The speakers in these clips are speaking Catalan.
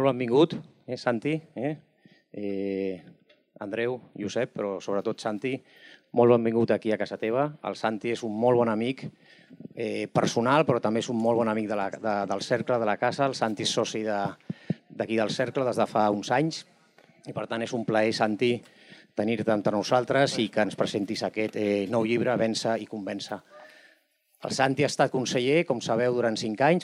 Molt benvingut, Santi, Andreu, Josep, però sobretot Santi. Molt benvingut aquí a casa teva. El Santi és un molt bon amic personal, però també és un molt bon amic del cercle, de la casa. El Santi és soci d'aquí del cercle des de fa uns anys i, per tant, és un plaer, Santi, tenir-te entre nosaltres i que ens presentis aquest nou llibre, Vèncer i convèncer. El Santi ha estat conseller, com sabeu, durant 5 anys,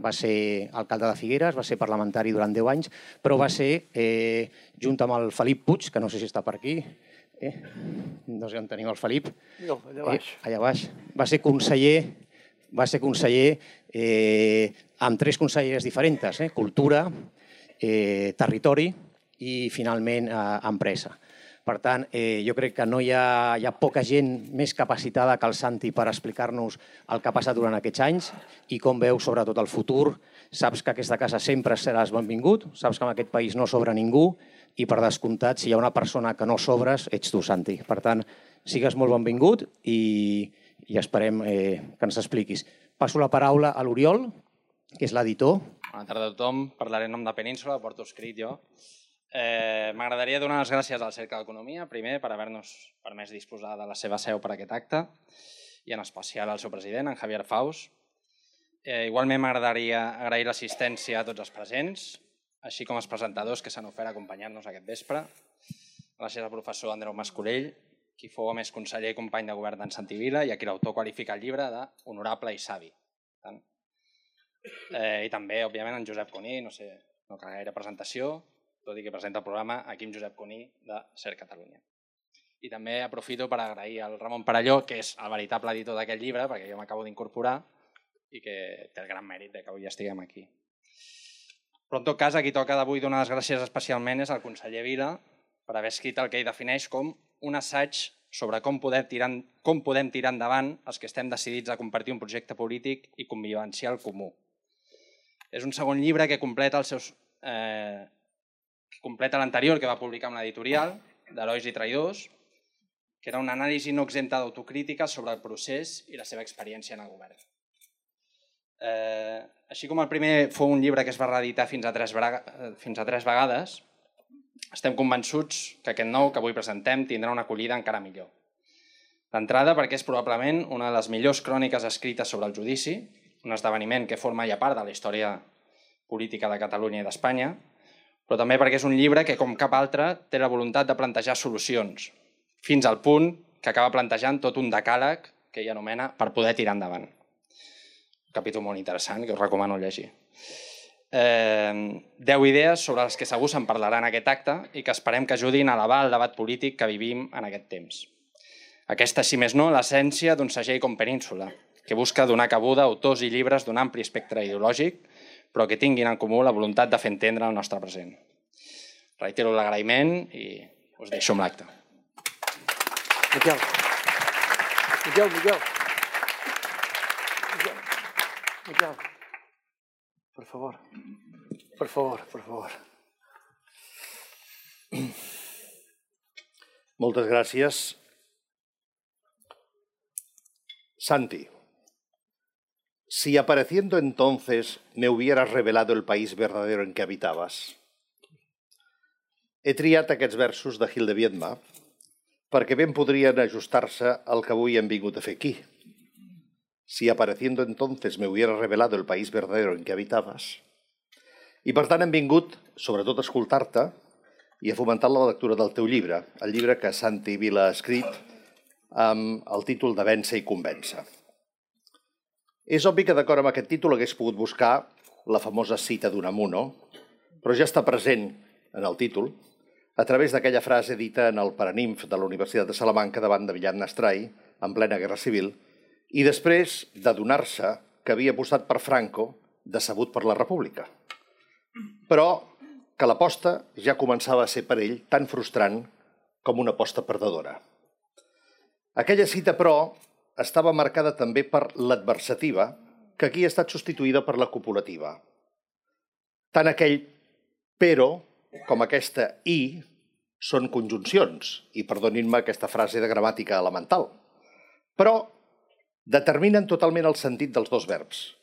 va ser alcalde de Figueres, va ser parlamentari durant 10 anys, però va ser, junt amb el Felip Puig, que no sé si està per aquí, no sé on teniu el Felip. No, allà baix. Allà baix. Va ser conseller amb 3 conselleries diferents, cultura, territori i, finalment, empresa. Per tant, jo crec que no hi ha poca gent més capacitada que el Santi per explicar-nos el que ha passat durant aquests anys i com veu sobretot el futur. Saps que aquesta casa sempre seràs benvingut, saps que en aquest país no sobra ningú i, per descomptat, si hi ha una persona que no sobres, ets tu, Santi. Per tant, sigues molt benvingut i esperem que ens expliquis. Passo la paraula a l'Oriol, que és l'editor. Bona tarda a tothom. Parlaré en nom de Península, porto escrit jo. M'agradaria donar les gràcies al Cercle d'Economia, primer, per haver-nos permès disposar de la seva seu per aquest acte, i en especial al seu president, en Javier Faus. Igualment m'agradaria agrair l'assistència a tots els presents, així com als presentadors que s'han ofert a acompanyar-nos aquest vespre. Gràcies al professor Andreu Mascolell, qui fou a més conseller i company de govern d'en Santi Vila i a qui l'autor qualifica el llibre d'honorable i savi. I també, òbviament, en Josep Cuní, no cal gaire presentació, tot i que presenta el programa aquí amb Josep Cuní de Ser Catalunya. I també aprofito per agrair al Ramon Perelló, que és el veritable editor d'aquest llibre, perquè jo m'acabo d'incorporar i que té el gran mèrit que avui estiguem aquí. Però en tot cas, a qui toca d'avui donar les gràcies especialment és al conseller Vila per haver escrit el que ell defineix com un assaig sobre com podem tirar endavant els que estem decidits a compartir un projecte polític i convivencial comú. És un segon llibre que completa l'anterior que va publicar amb l'editorial d'Herois i Traïdors, que era una anàlisi no exempta d'autocrítica sobre el procés i la seva experiència en el govern. Així com el primer fou un llibre que es va reeditar fins a 3 vegades, estem convençuts que aquest nou que avui presentem tindrà una acollida encara millor. D'entrada, perquè és probablement una de les millors cròniques escrites sobre el judici, un esdeveniment que forma ja part de la història política de Catalunya i d'Espanya, però també perquè és un llibre que, com cap altre, té la voluntat de plantejar solucions, fins al punt que acaba plantejant tot un decàleg que ell anomena per poder tirar endavant. Un capítol molt interessant que us recomano llegir. 10 idees sobre les que segur se'n parlarà en aquest acte i que esperem que ajudin a elevar el debat polític que vivim en aquest temps. Aquesta, si més no, l'essència d'un segell com Península, que busca donar cabuda a autors i llibres d'un ampli espectre ideològic, però que tinguin en comú la voluntat de fer entendre el nostre present. Reitero l'agraïment i us deixo amb l'acte. Miquel, por favor. Moltes gràcies. Santi, si apareciendo entonces me hubieras revelado el país verdadero en que habitabas. He triat aquests versos de Gil de Viedma perquè ben podrien ajustar-se al que avui hem vingut a fer aquí. Si apareciendo entonces me hubieras revelado el país verdadero en que habitabas. I per tant hem vingut, sobretot, a escoltar-te i a fomentar la lectura del teu llibre, el llibre que Santi Vila ha escrit amb el títol de Vèncer i convèncer. És obvi que d'acord amb aquest títol hagués pogut buscar la famosa cita d'Unamuno, però ja està present en el títol a través d'aquella frase dita en el Paraninf de la Universitat de Salamanca davant de Villat Nastrai, en plena Guerra Civil, i després d'adonar-se que havia apostat per Franco, decebut per la República. Però que l'aposta ja començava a ser per ell tan frustrant com una aposta perdedora. Aquella cita, però, estava marcada també per l'adversativa, que aquí ha estat substituïda per la copulativa. Tant aquell però com aquesta i són conjuncions, i perdonin-me aquesta frase de gramàtica elemental, però determinen totalment el sentit dels dos verbs.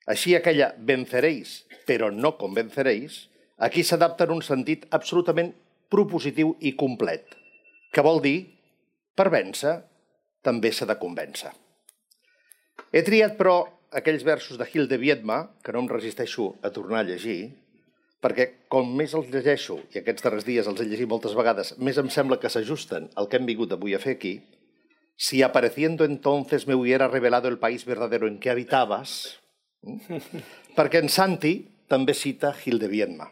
Així aquella venceréis, però no convenceréis, aquí s'adapta en un sentit absolutament propositiu i complet, que vol dir, per vèncer, també s'ha de convèncer. He triat, però, aquells versos de Gil de Viedma, que no em resisteixo a tornar a llegir, perquè com més els llegeixo, i aquests darrers dies els he llegit moltes vegades, més em sembla que s'ajusten al que hem vingut avui a fer aquí. Si apareciendo entonces me hubiera revelado el país verdadero en que habitabas, perquè en Santi també cita Gil de Viedma,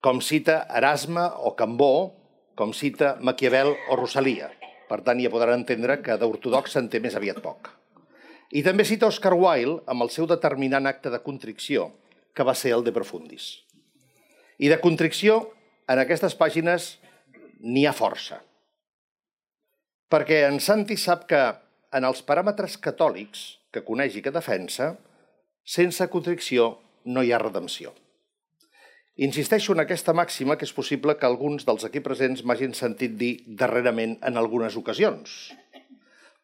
com cita Erasme o Cambó, com cita Maquiavel o Rosalia. Per tant, ja podran entendre que d'ortodox se'n té més aviat poc. I també cita Oscar Wilde amb el seu determinant acte de contricció, que va ser el De Profundis. I de contricció, en aquestes pàgines, n'hi ha força. Perquè en Santi sap que, en els paràmetres catòlics que coneix i que defensa, sense contricció no hi ha redempció. Insisteixo en aquesta màxima que és possible que alguns dels aquí presents m'hagin sentit dir darrerament en algunes ocasions.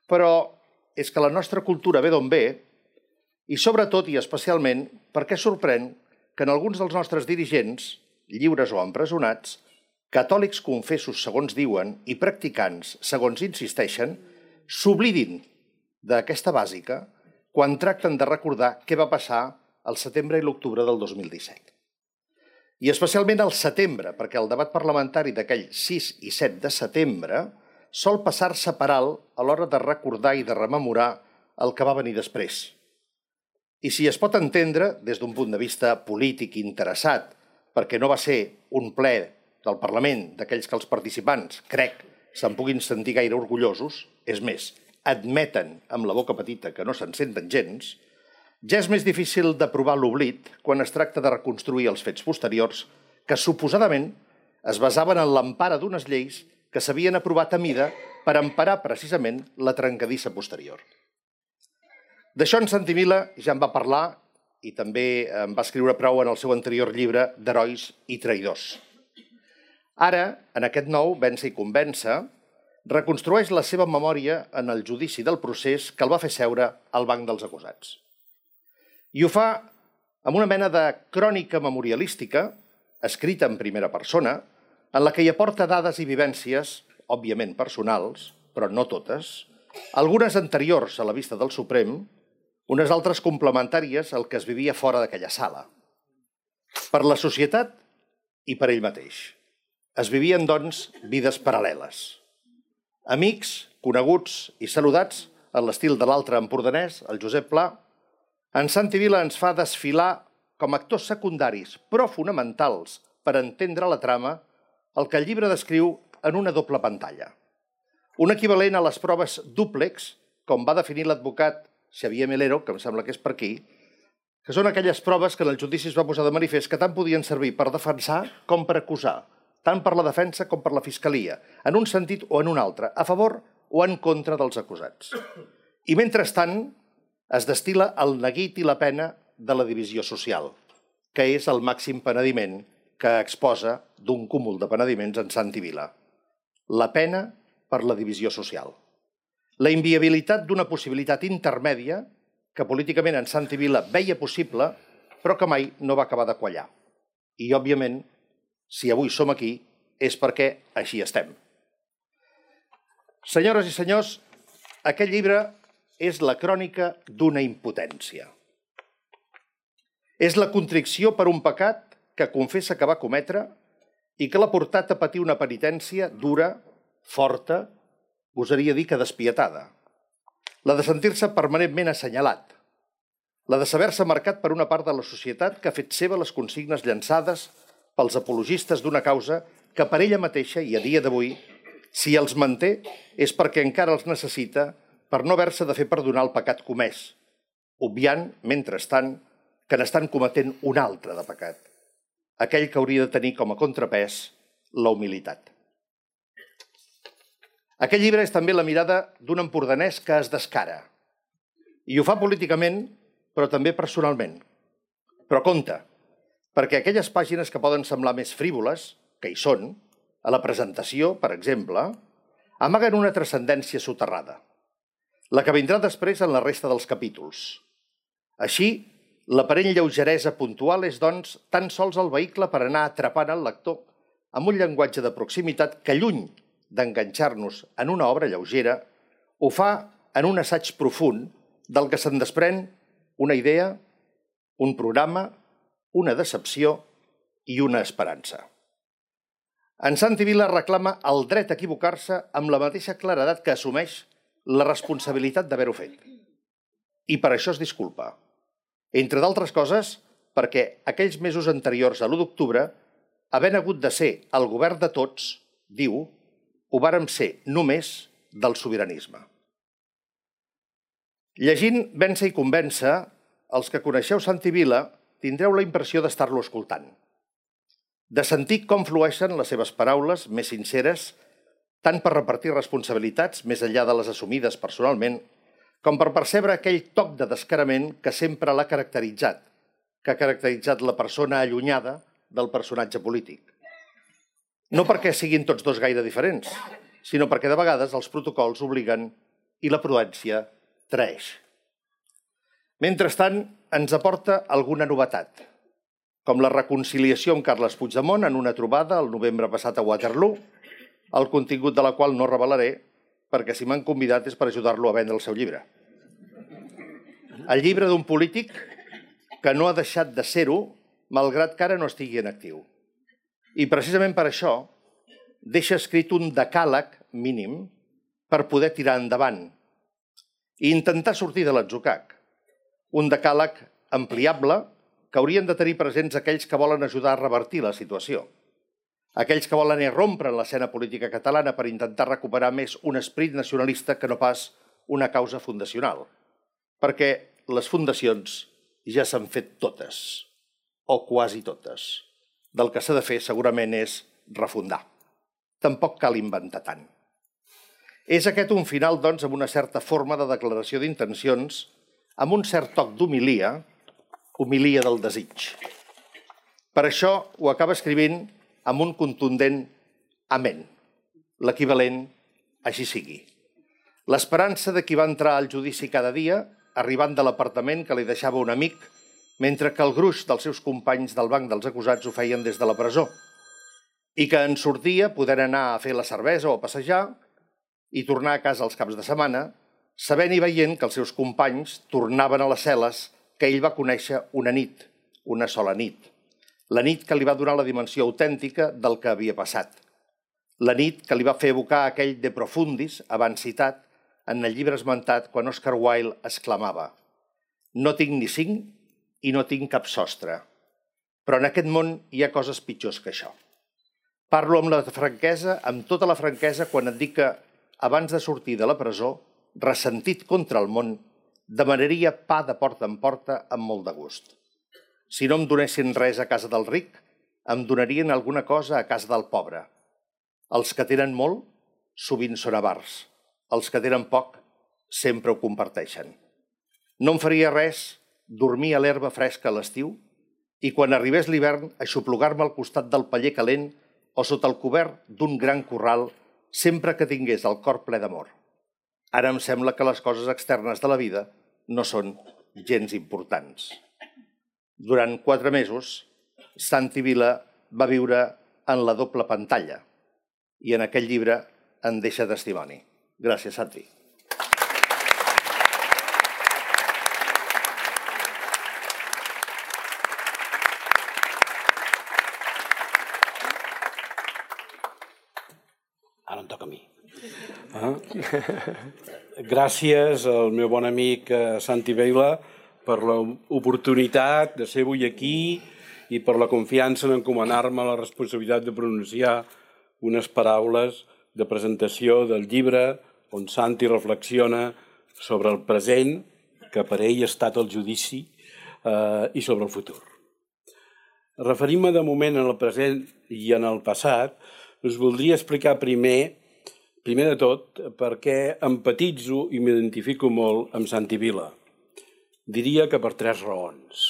Però és que la nostra cultura ve d'on ve i sobretot i especialment perquè sorprèn que en alguns dels nostres dirigents, lliures o empresonats, catòlics confessos segons diuen i practicants segons insisteixen, s'oblidin d'aquesta bàsica quan tracten de recordar què va passar al setembre i l'octubre del 2017. I especialment al setembre, perquè el debat parlamentari d'aquell 6 i 7 de setembre sol passar-se per alt a l'hora de recordar i de rememorar el que va venir després. I si es pot entendre, des d'un punt de vista polític interessat, perquè no va ser un ple del Parlament d'aquells que els participants, crec, se'n puguin sentir gaire orgullosos, és més, admeten amb la boca petita que no se'n senten gens, ja és més difícil de provar l'oblit quan es tracta de reconstruir els fets posteriors que suposadament es basaven en l'empara d'unes lleis que s'havien aprovat a mida per emparar precisament la trencadissa posterior. D'això en Santi Vila ja en va parlar i també en va escriure prou en el seu anterior llibre d'Herois i Traïdors. Ara, en aquest nou, Vèncer i convèncer, reconstrueix la seva memòria en el judici del procés que el va fer seure al banc dels acusats. I ho fa amb una mena de crònica memorialística, escrita en primera persona, en la que hi aporta dades i vivències, òbviament personals, però no totes, algunes anteriors a la vista del Suprem, unes altres complementàries al que es vivia fora d'aquella sala. Per la societat i per ell mateix. Es vivien, doncs, vides paral·leles. Amics, coneguts i saludats, en l'estil de l'altre empordanès, el Josep Pla, en Santi Vila ens fa desfilar com a actors secundaris, però fonamentals per entendre la trama, el que el llibre descriu en una doble pantalla. Un equivalent a les proves dúplex, com va definir l'advocat Xavier Melero, que em sembla que és per aquí, que són aquelles proves que en el judici es va posar de manifest que tant podien servir per defensar com per acusar, tant per la defensa com per la fiscalia, en un sentit o en un altre, a favor o en contra dels acusats. I mentrestant es destil·la el neguit i la pena de la divisió social, que és el màxim penediment que exposa d'un cúmul de penediments en Santi Vila. La pena per la divisió social. La inviabilitat d'una possibilitat intermèdia que políticament en Santi Vila veia possible, però que mai no va acabar de quallar. I, òbviament, si avui som aquí, és perquè així estem. Senyores i senyors, aquest llibre és la crònica d'una impotència. És la contricció per un pecat que confessa que va cometre i que l'ha portat a patir una penitència dura, forta, gosaria dir que despietada. La de sentir-se permanentment assenyalat. La de saber-se marcat per una part de la societat que ha fet seva les consignes llançades pels apologistes d'una causa que per ella mateixa i a dia d'avui, si els manté, és perquè encara els necessita per no haver-se de fer perdonar el pecat comès, obviant, mentrestant, que n'estan cometent un altre de pecat, aquell que hauria de tenir com a contrapès la humilitat. Aquest llibre és també la mirada d'un empordanès que es descara. I ho fa políticament, però també personalment. Però compte, perquè aquelles pàgines que poden semblar més frívoles, que hi són, a la presentació, per exemple, amaguen una transcendència soterrada, la que vindrà després en la resta dels capítols. Així, L'aparent lleugeresa puntual és, doncs, tan sols el vehicle per anar atrapant el lector amb un llenguatge de proximitat que, lluny d'enganxar-nos en una obra lleugera, ho fa en un assaig profund del que se'n desprèn una idea, un programa, una decepció i una esperança. En Santi Vila reclama el dret a equivocar-se amb la mateixa claredat que assumeix la responsabilitat d'haver-ho fet. I per això es disculpa. Entre d'altres coses, perquè aquells mesos anteriors a l'1 d'octubre, havent hagut de ser el govern de tots, diu, ho vàrem ser només del sobiranisme. Llegint Vèncer i convèncer, els que coneixeu Santi Vila tindreu la impressió d'estar-lo escoltant, de sentir com flueixen les seves paraules més sinceres, tant per repartir responsabilitats més enllà de les assumides personalment, com per percebre aquell toc de descarament que sempre l'ha caracteritzat, que ha caracteritzat la persona allunyada del personatge polític. No perquè siguin tots dos gaire diferents, sinó perquè de vegades els protocols obliguen i la prudència traeix. Mentrestant, ens aporta alguna novetat, com la reconciliació amb Carles Puigdemont en una trobada el novembre passat a Waterloo, el contingut de la qual no revelaré perquè si m'han convidat és per ajudar-lo a vendre el seu llibre. El llibre d'un polític que no ha deixat de ser-ho, malgrat que ara no estigui en actiu. I precisament per això deixa escrit un decàleg mínim per poder tirar endavant i intentar sortir de l'atzucac. Un decàleg ampliable que haurien de tenir presents aquells que volen ajudar a revertir la situació. Aquells que volen irrompre en l'escena política catalana per intentar recuperar més un esperit nacionalista que no pas una causa fundacional. Perquè les fundacions ja s'han fet totes, o quasi totes. Del que s'ha de fer segurament és refundar. Tampoc cal inventar tant. És aquest un final, doncs, amb una certa forma de declaració d'intencions, amb un cert toc d'homilia, homilia del desig. Per això ho acaba escrivint amb un contundent amén, l'equivalent així sigui. L'esperança de qui va entrar al judici cada dia, arribant de l'apartament que li deixava un amic, mentre que el gruix dels seus companys del banc dels acusats ho feien des de la presó, i que en sortia podent anar a fer la cervesa o a passejar i tornar a casa els caps de setmana, sabent i veient que els seus companys tornaven a les cel·les que ell va conèixer una nit, una sola nit. La nit que li va donar la dimensió autèntica del que havia passat. La nit que li va fer evocar aquell De Profundis, abans citat, en el llibre esmentat quan Oscar Wilde exclamava: «No tinc ni cinc i no tinc cap sostre, però en aquest món hi ha coses pitjors que això». Parlo amb la franquesa, amb tota la franquesa, quan et dic que, abans de sortir de la presó, ressentit contra el món, demanaria pa de porta en porta amb molt de gust. Si no em donessin res a casa del ric, em donarien alguna cosa a casa del pobre. Els que tenen molt, sovint són avars. Els que tenen poc, sempre ho comparteixen. No em faria res dormir a l'herba fresca a l'estiu i quan arribés l'hivern aixoplugar-me al costat del paller calent o sota el cobert d'un gran corral sempre que tingués el cor ple d'amor. Ara em sembla que les coses externes de la vida no són gens importants. Durant 4 mesos, Santi Vila va viure en la doble pantalla i en aquest llibre en deixa testimoni. Gràcies, Santi. Ara em toca a mi. Gràcies al meu bon amic Santi Vila per l'oportunitat de ser avui aquí i per la confiança en encomanar-me la responsabilitat de pronunciar unes paraules de presentació del llibre on Santi reflexiona sobre el present, que per ell ha estat el judici, i sobre el futur. Referint-me de moment en el present i en el passat, us voldria explicar primer de tot per què empatitzo i m'identifico molt amb Santi Vila. Diria que per 3 raons.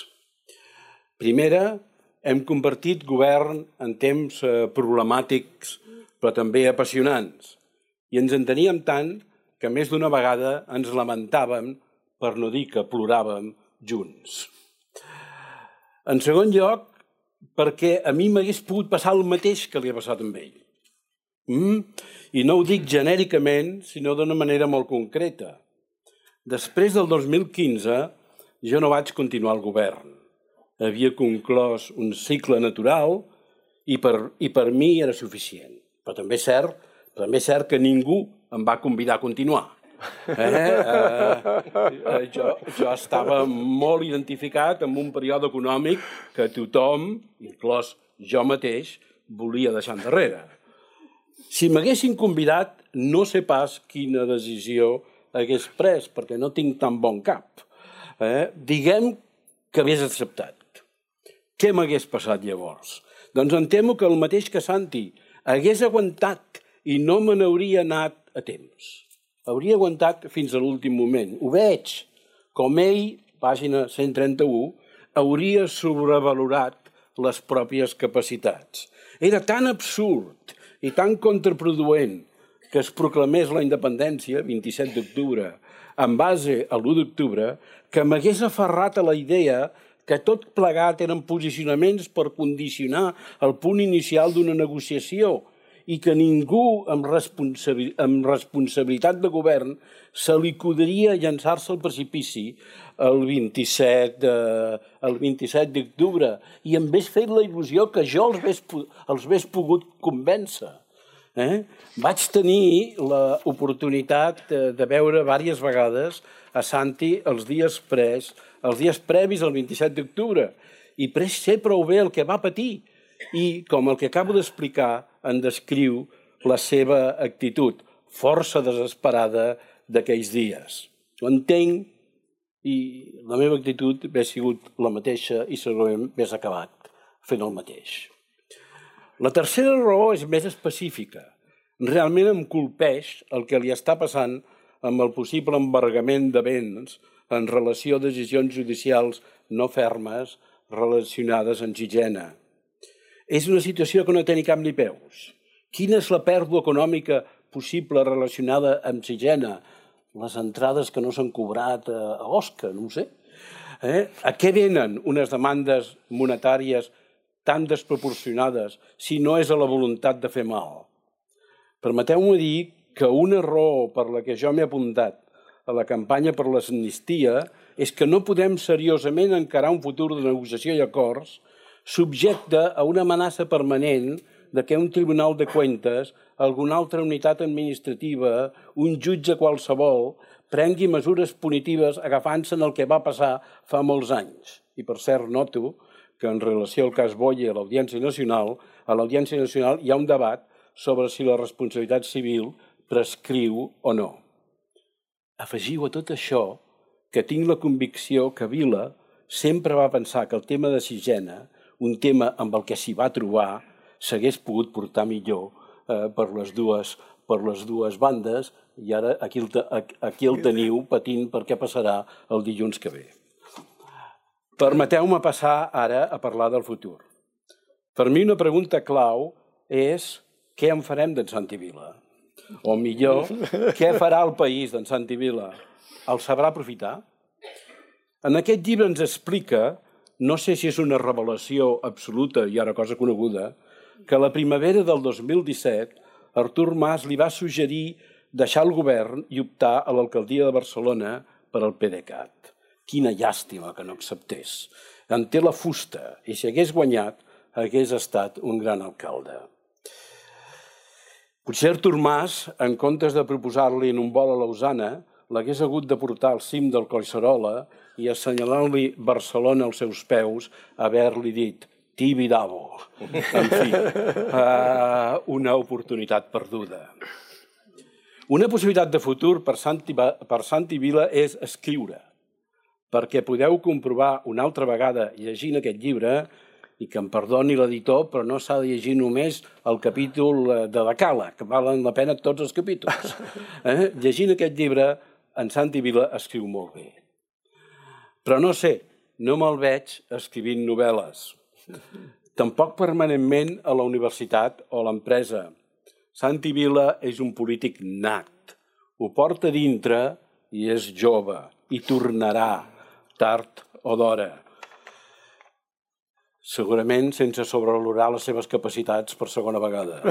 Primera, hem compartit govern en temps problemàtics però també apassionants i ens enteníem tant que més d'una vegada ens lamentàvem, per no dir que ploràvem, junts. En segon lloc, perquè a mi m'hagués pogut passar el mateix que li ha passat amb ell. I no ho dic genèricament, sinó d'una manera molt concreta. Després del 2015, jo no vaig continuar al govern. Havia conclòs un cicle natural i per mi era suficient. Però també és cert que ningú em va convidar a continuar. Jo estava molt identificat amb un període econòmic que tothom, inclòs jo mateix, volia deixar endarrere. Si m'haguessin convidat, no sé pas quina decisió hagués pres, perquè no tinc tan bon cap. Diguem que hagués acceptat. Què m'hagués passat llavors? Doncs em temo que el mateix que Santi hagués aguantat i no me n'hauria anat a temps. Hauria aguantat fins a l'últim moment. Ho veig. Com ell, pàgina 131, hauria sobrevalorat les pròpies capacitats. Era tan absurd i tan contraproduent que es proclamés la independència, 27 d'octubre, en base a l'1 d'octubre, que m'hagués aferrat a la idea que tot plegat eren posicionaments per condicionar el punt inicial d'una negociació i que ningú amb responsabilitat de govern se li acudiria llançar-se al precipici el 27 d'octubre i em hagués fet la il·lusió que jo els hagués pogut convèncer. Vaig tenir l'oportunitat de veure diverses vegades a Santi els dies previs al 27 d'octubre i sé prou bé el que va patir i, com el que acabo d'explicar, en descriu la seva actitud força desesperada d'aquells dies. Ho entenc i la meva actitud hauria sigut la mateixa i segurament hauria acabat fent el mateix. La tercera raó és més específica. Realment em colpeix el que li està passant amb el possible embargament de béns en relació a decisions judicials no fermes relacionades amb Sixena. És una situació que no té ni cap ni peus. Quina és la pèrdua econòmica possible relacionada amb Sixena? Les entrades que no s'han cobrat a Osca, no ho sé. A què venen unes demandes monetàries tan desproporcionades si no és a la voluntat de fer mal? Permeteu-me dir que una raó per la que jo m'he apuntat a la campanya per l'amnistia és que no podem seriosament encarar un futur de negociació i acords subjecte a una amenaça permanent de que un tribunal de cuentas, alguna altra unitat administrativa, un jutge qualsevol, prengui mesures punitives agafant-se en el que va passar fa molts anys. I per cert, noto que en relació al cas Boye a l'Audiència Nacional hi ha un debat sobre si la responsabilitat civil prescriu o no. Afegiu a tot això que tinc la convicció que Vila sempre va pensar que el tema de Sixena, un tema amb el que s'hi va trobar, s'hagués pogut portar millor per les dues bandes i ara aquí el teniu patint per què passarà el dilluns que ve. Permeteu-me passar ara a parlar del futur. Per mi una pregunta clau és què en farem d'en Santi Vila? O millor, què farà el país d'en Santi Vila? El sabrà aprofitar? En aquest llibre ens explica, no sé si és una revelació absoluta i ara cosa coneguda, que a la primavera del 2017 Artur Mas li va suggerir deixar el govern i optar a l'alcaldia de Barcelona per al PDeCAT. Quina llàstima que no acceptés. En té la fusta i si hagués guanyat hagués estat un gran alcalde. Potser Artur Mas, en comptes de proposar-li en un vol a Lausana, l'hagués hagut de portar al cim del Collserola i assenyalant-li Barcelona als seus peus, haver-li dit Tibidabo. En fi, una oportunitat perduda. Una possibilitat de futur per Santi Vila és escriure, perquè podeu comprovar una altra vegada llegint aquest llibre, i que em perdoni l'editor, però no s'ha de llegir només el capítol de la Cala, que valen la pena tots els capítols. Llegint aquest llibre, en Santi Vila escriu molt bé. Però no sé, no me'l veig escrivint novel·les. Tampoc permanentment a la universitat o a l'empresa. Santi Vila és un polític nat. Ho porta dintre i és jove. I tornarà, tard o d'hora. segurament sense sobrevalorar les seves capacitats per segona vegada.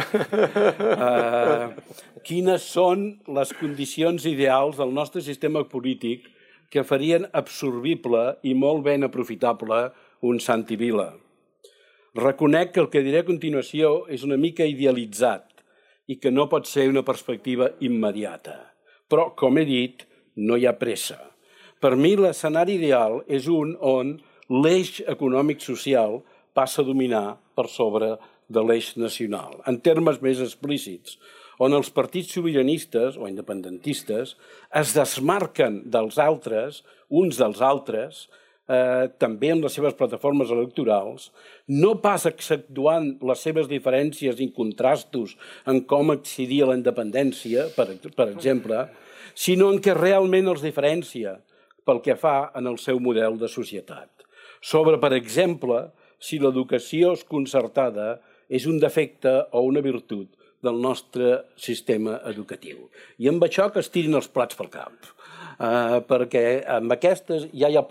Quines són les condicions ideals del nostre sistema polític que farien absorbible i molt ben aprofitable un Santi Vila? Reconec que el que diré a continuació és una mica idealitzat i que no pot ser una perspectiva immediata. Però, com he dit, no hi ha pressa. Per mi, l'escenari ideal és un on l'eix econòmic-social passa a dominar per sobre de l'eix nacional. En termes més explícits, on els partits sobiranistes o independentistes es desmarquen dels altres, uns dels altres, també en les seves plataformes electorals, no pas exceptuant les seves diferències i contrastos en com accedir a la independència, per exemple, sinó en què realment els diferencia pel que fa en el seu model de societat. Sobre, per exemple, si l'educació concertada és un defecte o una virtut del nostre sistema educatiu. I amb això que es tirin els plats pel cap, perquè amb aquestes ja hi ha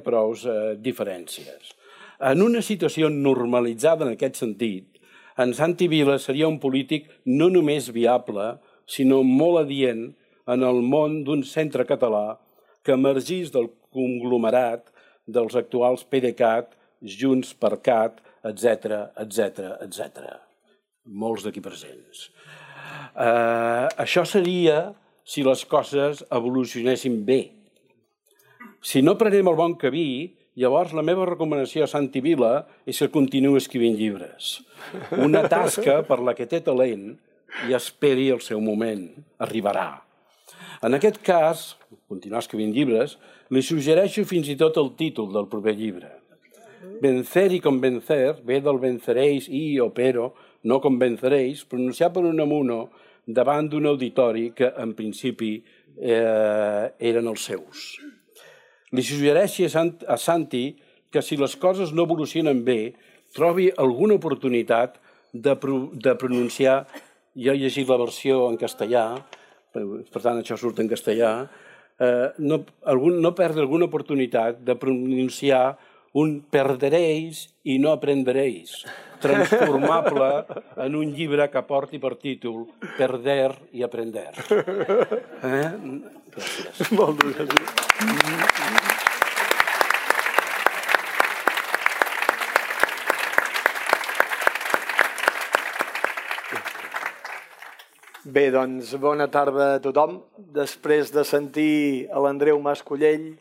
prous diferències. En una situació normalitzada en aquest sentit, en Santi Vila seria un polític no només viable, sinó molt adient en el món d'un centre català que emergís del conglomerat dels actuals PDeCAT, Junts per Cat, etc. Molts d'aquí presents. Això seria si les coses evolucionessin bé. Si no prenem el bon camí, llavors la meva recomanació a Santi Vila és que continuï escrivint llibres. Una tasca per la que té talent i esperi el seu moment. Arribarà. En aquest cas, continuar escrivint llibres, li suggereixo fins i tot el títol del proper llibre. Vencer y convencer ve del venceréis y o pero, no convenceréis, pronunciat per un amuno davant d'un auditori que, en principi, eren els seus. Li suggereixi a Santi que si les coses no evolucionen bé, trobi alguna oportunitat de pronunciar, jo he llegit la versió en castellà, per tant això surt en castellà, no perdre alguna oportunitat de pronunciar un perderéis i no aprenderéis, transformable en un llibre que porti per títol Perder i aprender. Gràcies. Moltes gràcies. Bé, doncs, bona tarda a tothom. Després de sentir a l'Andreu Mascollell,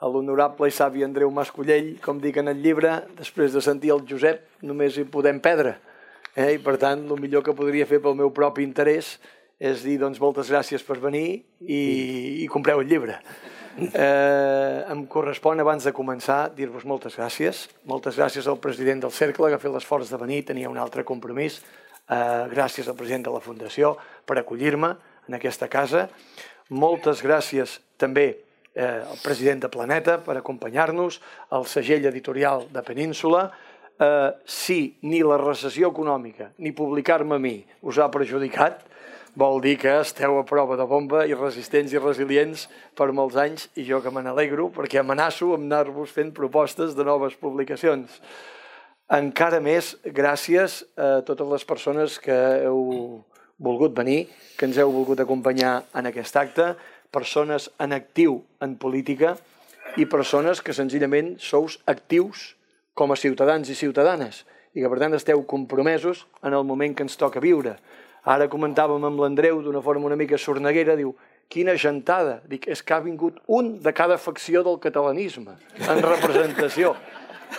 a l'honorable i savi Andreu Mascollell, com dic en el llibre, després de sentir el Josep, només hi podem perdre. I, per tant, el millor que podria fer pel meu propi interès és dir, doncs, moltes gràcies per venir i compreu el llibre. Em correspon, abans de començar, dir-vos moltes gràcies. Moltes gràcies al president del Cercle, que ha fet l'esforç de venir, tenia un altre compromís. Gràcies al president de la Fundació per acollir-me en aquesta casa. Moltes gràcies també al president de Planeta per acompanyar-nos, al segell editorial de Península. Si ni la recessió econòmica ni publicar-me a mi us ha perjudicat, vol dir que esteu a prova de bomba i resistents i resilients per molts anys, i jo que me n'alegro perquè amenaço amb anar-vos fent propostes de noves publicacions. Encara més gràcies a totes les persones que heu volgut venir, que ens heu volgut acompanyar en aquest acte, persones en actiu en política i persones que senzillament sous actius com a ciutadans i ciutadanes i que per tant esteu compromesos en el moment que ens toca viure. Ara comentàvem amb l'Andreu d'una forma una mica sorneguera, diu, quina gentada. Dic, és que ha vingut un de cada facció del catalanisme en representació.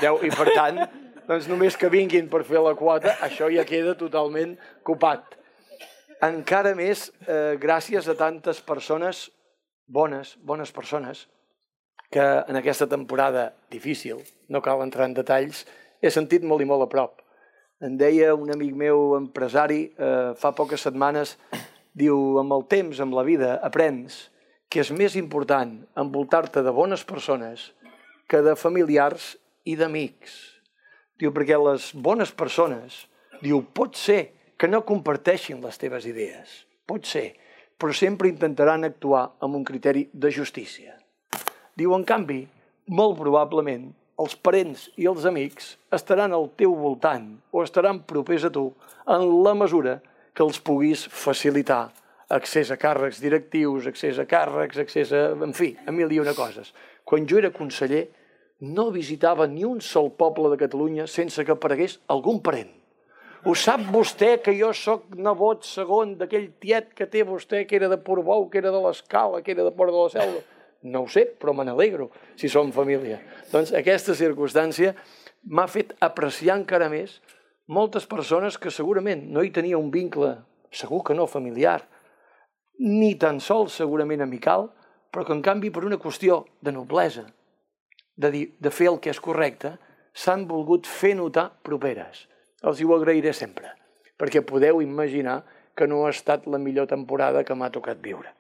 I per tant, doncs només que vinguin per fer la quota, això ja queda totalment copat. Encara més, gràcies a tantes persones, bones persones, que en aquesta temporada difícil, no cal entrar en detalls, he sentit molt i molt a prop. Em deia un amic meu empresari fa poques setmanes, diu, amb el temps, amb la vida, aprens que és més important envoltar-te de bones persones que de familiars i d'amics. Diu, perquè les bones persones, diu, pot ser que no comparteixin les teves idees, pot ser, però sempre intentaran actuar amb un criteri de justícia. Diu, en canvi, molt probablement, els parents i els amics estaran al teu voltant o estaran propers a tu en la mesura que els puguis facilitar accés a càrrecs directius, accés a càrrecs, accés a... en fi, a mil i una coses. Quan jo era conseller no visitava ni un sol poble de Catalunya sense que aparegués algun parent. Ho sap vostè que jo sóc nebot segon d'aquell tiet que té vostè, que era de Portbou, que era de l'Escala, que era de Port de la Selva? No ho sé, però me n'alegro si som família. Doncs aquesta circumstància m'ha fet apreciar encara més moltes persones que segurament no hi tenia un vincle, segur que no familiar, ni tan sols segurament amical, però que en canvi per una qüestió de noblesa, de fer el que és correcte, s'han volgut fer notar properes. Els ho agrairé sempre, perquè podeu imaginar que no ha estat la millor temporada que m'ha tocat viure.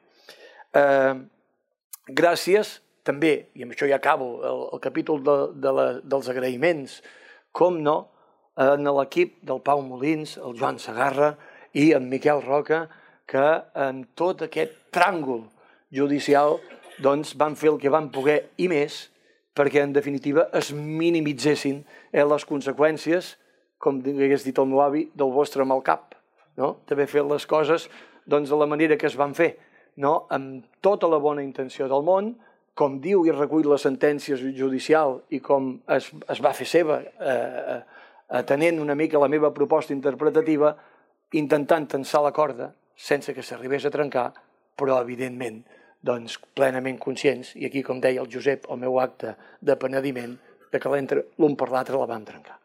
Gràcies també, i amb això ja acabo el capítol dels agraïments, com no, en l'equip del Pau Molins, el Joan Segarra i en Miquel Roca, que en tot aquest tràngol judicial van fer el que van poder i més perquè, en definitiva, es minimitzessin les conseqüències, com hagués dit el meu avi, del vostre mal cap, d'haver fet les coses de la manera que es van fer, amb tota la bona intenció del món, com diu i recull la sentència judicial i com es va fer seva, atenent una mica la meva proposta interpretativa, intentant tensar la corda sense que s'arribés a trencar, però evidentment plenament conscients, i aquí, com deia el Josep, el meu acte de penediment, que l'un per l'altre la vam trencar.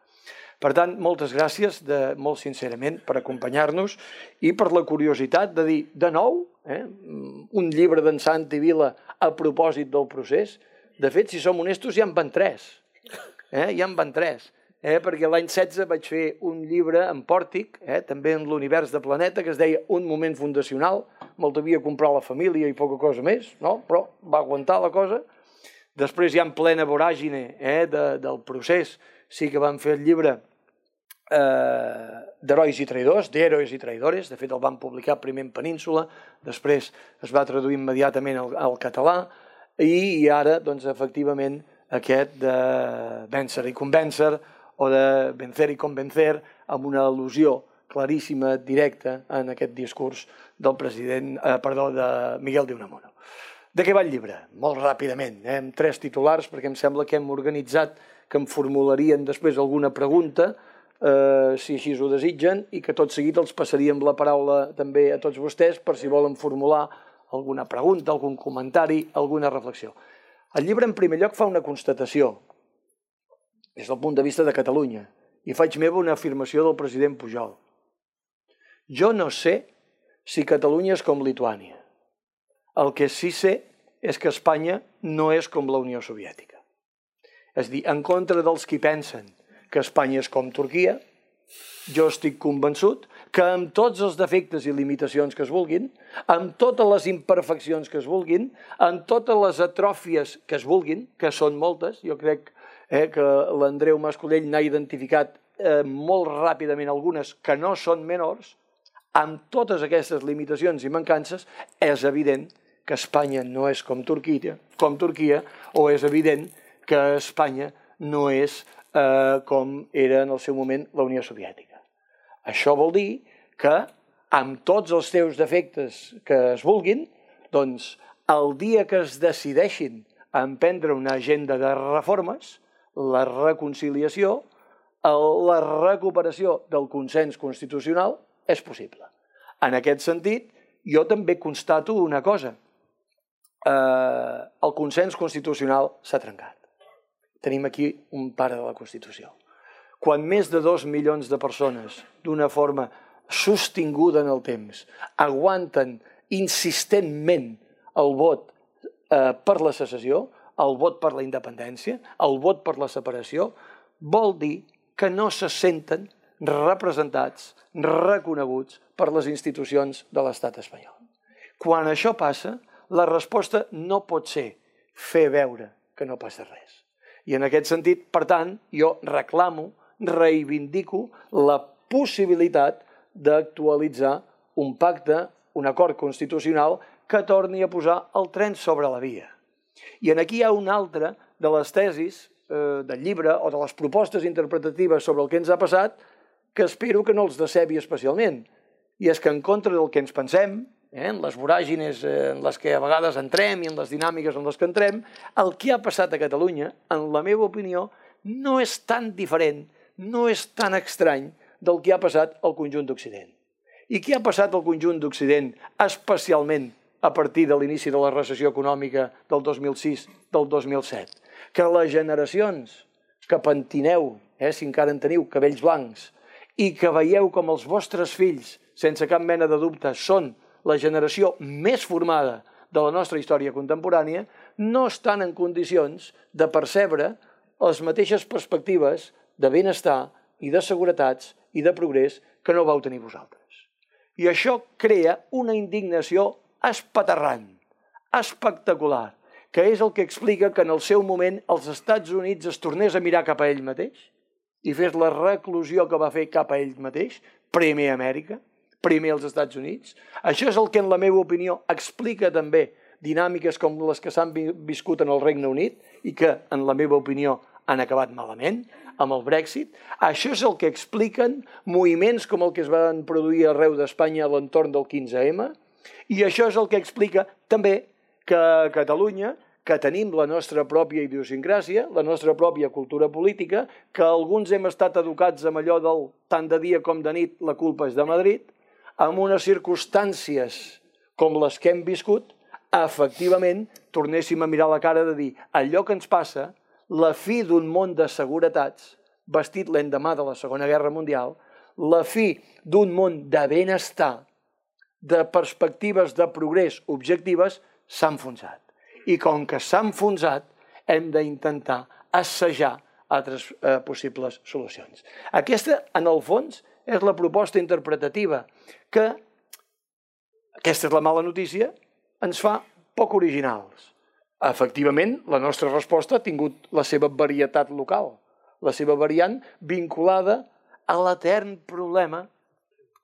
Per tant, moltes gràcies, molt sincerament, per acompanyar-nos i per la curiositat de dir, de nou, un llibre d'en Santi Vila a propòsit del procés. De fet, si som honestos, ja en van tres. Ja en van tres. Perquè l'any 16 vaig fer un llibre en pòrtic, també en l'univers de Planeta, que es deia Un moment fundacional. Me'l devia comprar la família i poca cosa més, però va aguantar la cosa. Després, ja en plena voràgine del procés, sí que vam fer el llibre d'Herois i Traïdors, d'Héroes i Traïdores. De fet, el vam publicar primer en Península, després es va traduir immediatament al català, i ara, efectivament, aquest de Vèncer i Convèncer, o de Vencer i Convencer, amb una al·lusió claríssima, directa, en aquest discurs del de Miguel de Unamuno. De què va el llibre? Molt ràpidament, amb 3 titulars, perquè em sembla que hem organitzat que em formularien després alguna pregunta, si així ho desitgen, i que tot seguit els passaríem la paraula també a tots vostès per si volen formular alguna pregunta, algun comentari, alguna reflexió. El llibre, en primer lloc, fa una constatació des del punt de vista de Catalunya, i faig meva una afirmació del president Pujol. Jo no sé si Catalunya és com Lituània. El que sí sé és que Espanya no és com la Unió Soviètica. És a dir, en contra dels qui pensen que Espanya és com Turquia, jo estic convençut que amb tots els defectes i limitacions que es vulguin, amb totes les imperfeccions que es vulguin, amb totes les atròfies que es vulguin, que són moltes, jo crec que l'Andreu Mascolell n'ha identificat molt ràpidament algunes que no són menors, amb totes aquestes limitacions i mancances, és evident que Espanya no és com Turquia, o és evident que Espanya no és com era en el seu moment la Unió Soviètica. Això vol dir que, amb tots els seus defectes que es vulguin, doncs el dia que es decideixin a emprendre una agenda de reformes, la reconciliació, la recuperació del consens constitucional és possible. En aquest sentit, jo també constato una cosa. El consens constitucional s'ha trencat. Tenim aquí un pare de la Constitució. Quan més de 2 milions de persones, d'una forma sostinguda en el temps, aguanten insistentment el vot per la secessió, el vot per la independència, el vot per la separació, vol dir que no se senten representats, reconeguts per les institucions de l'estat espanyol. Quan això passa, la resposta no pot ser fer veure que no passa res. I en aquest sentit, per tant, jo reclamo, reivindico la possibilitat d'actualitzar un pacte, un acord constitucional que torni a posar el tren sobre la via. I aquí hi ha una altra de les tesis del llibre o de les propostes interpretatives sobre el que ens ha passat que espero que no els decebi especialment. I és que en contra del que ens pensem, en les voràgines en les que a vegades entrem i en les dinàmiques en les que entrem, el que ha passat a Catalunya, en la meva opinió, no és tan diferent, no és tan estrany del que ha passat al conjunt d'Occident. I què ha passat al conjunt d'Occident, especialment a partir de l'inici de la recessió econòmica del 2006, del 2007? Que les generacions que pentineu, si encara en teniu, cabells blancs, i que veieu com els vostres fills, sense cap mena de dubte, són la generació més formada de la nostra història contemporània, no estan en condicions de percebre les mateixes perspectives de benestar i de seguretats i de progrés que no vau tenir vosaltres. I això crea una indignació espaterrant, espectacular, que és el que explica que en el seu moment els Estats Units es tornés a mirar cap a ell mateix i fes la reclusió que va fer cap a ell mateix, primer Amèrica, primer els Estats Units. Això és el que, en la meva opinió, explica també dinàmiques com les que s'han viscut en el Regne Unit i que, en la meva opinió, han acabat malament amb el Brexit. Això és el que expliquen moviments com el que es van produir arreu d'Espanya a l'entorn del 15M, i això és el que explica també que a Catalunya, que tenim la nostra pròpia idiosincràsia, la nostra pròpia cultura política, que alguns hem estat educats amb allò del tant de dia com de nit la culpa és de Madrid, amb unes circumstàncies com les que hem viscut, efectivament tornéssim a mirar la cara de dir allò que ens passa, la fi d'un món de seguretats, vestit l'endemà de la Segona Guerra Mundial, la fi d'un món de benestar, de perspectives de progrés objectives, s'ha enfonsat. I com que s'ha enfonsat, hem d'intentar assajar altres possibles solucions. Aquesta, en el fons, és la proposta interpretativa que, aquesta és la mala notícia, ens fa poc originals. Efectivament, la nostra resposta ha tingut la seva varietat local, la seva variant vinculada a l'etern problema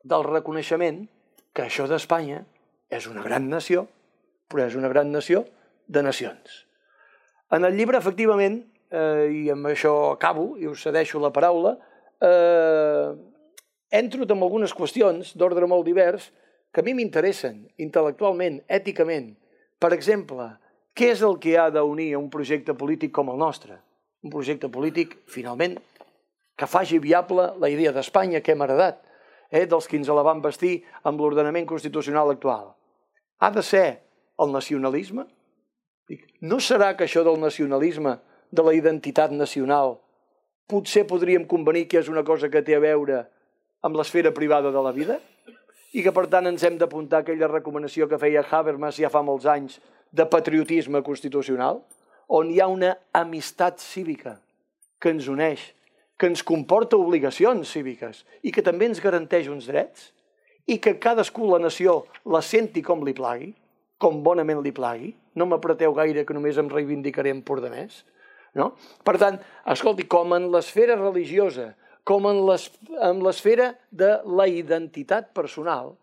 del reconeixement que això d'Espanya és una gran nació, però és una gran nació de nacions. En el llibre, efectivament, i amb això acabo i us cedeixo la paraula, entro amb algunes qüestions d'ordre molt divers que a mi m'interessen intel·lectualment, èticament. Per exemple, què és el que ha d'unir a un projecte polític com el nostre? Un projecte polític, finalment, que faci viable la idea d'Espanya que hem heredat, dels que ens la van vestir amb l'ordenament constitucional actual. Ha de ser el nacionalisme? No serà que això del nacionalisme, de la identitat nacional, potser podríem convenir que és una cosa que té a veure amb l'esfera privada de la vida? I que, per tant, ens hem d'apuntar a aquella recomanació que feia Habermas ja fa molts anys de patriotisme constitucional, on hi ha una amistat cívica que ens uneix, que ens comporta obligacions cíviques i que també ens garanteix uns drets i que cadascú, la nació, la senti com li plagui, com bonament li plagui. No m'apreteu gaire que només em reivindicaré en Pordanès. Per tant, escolti, com en l'esfera religiosa, com en l'esfera de la identitat personal,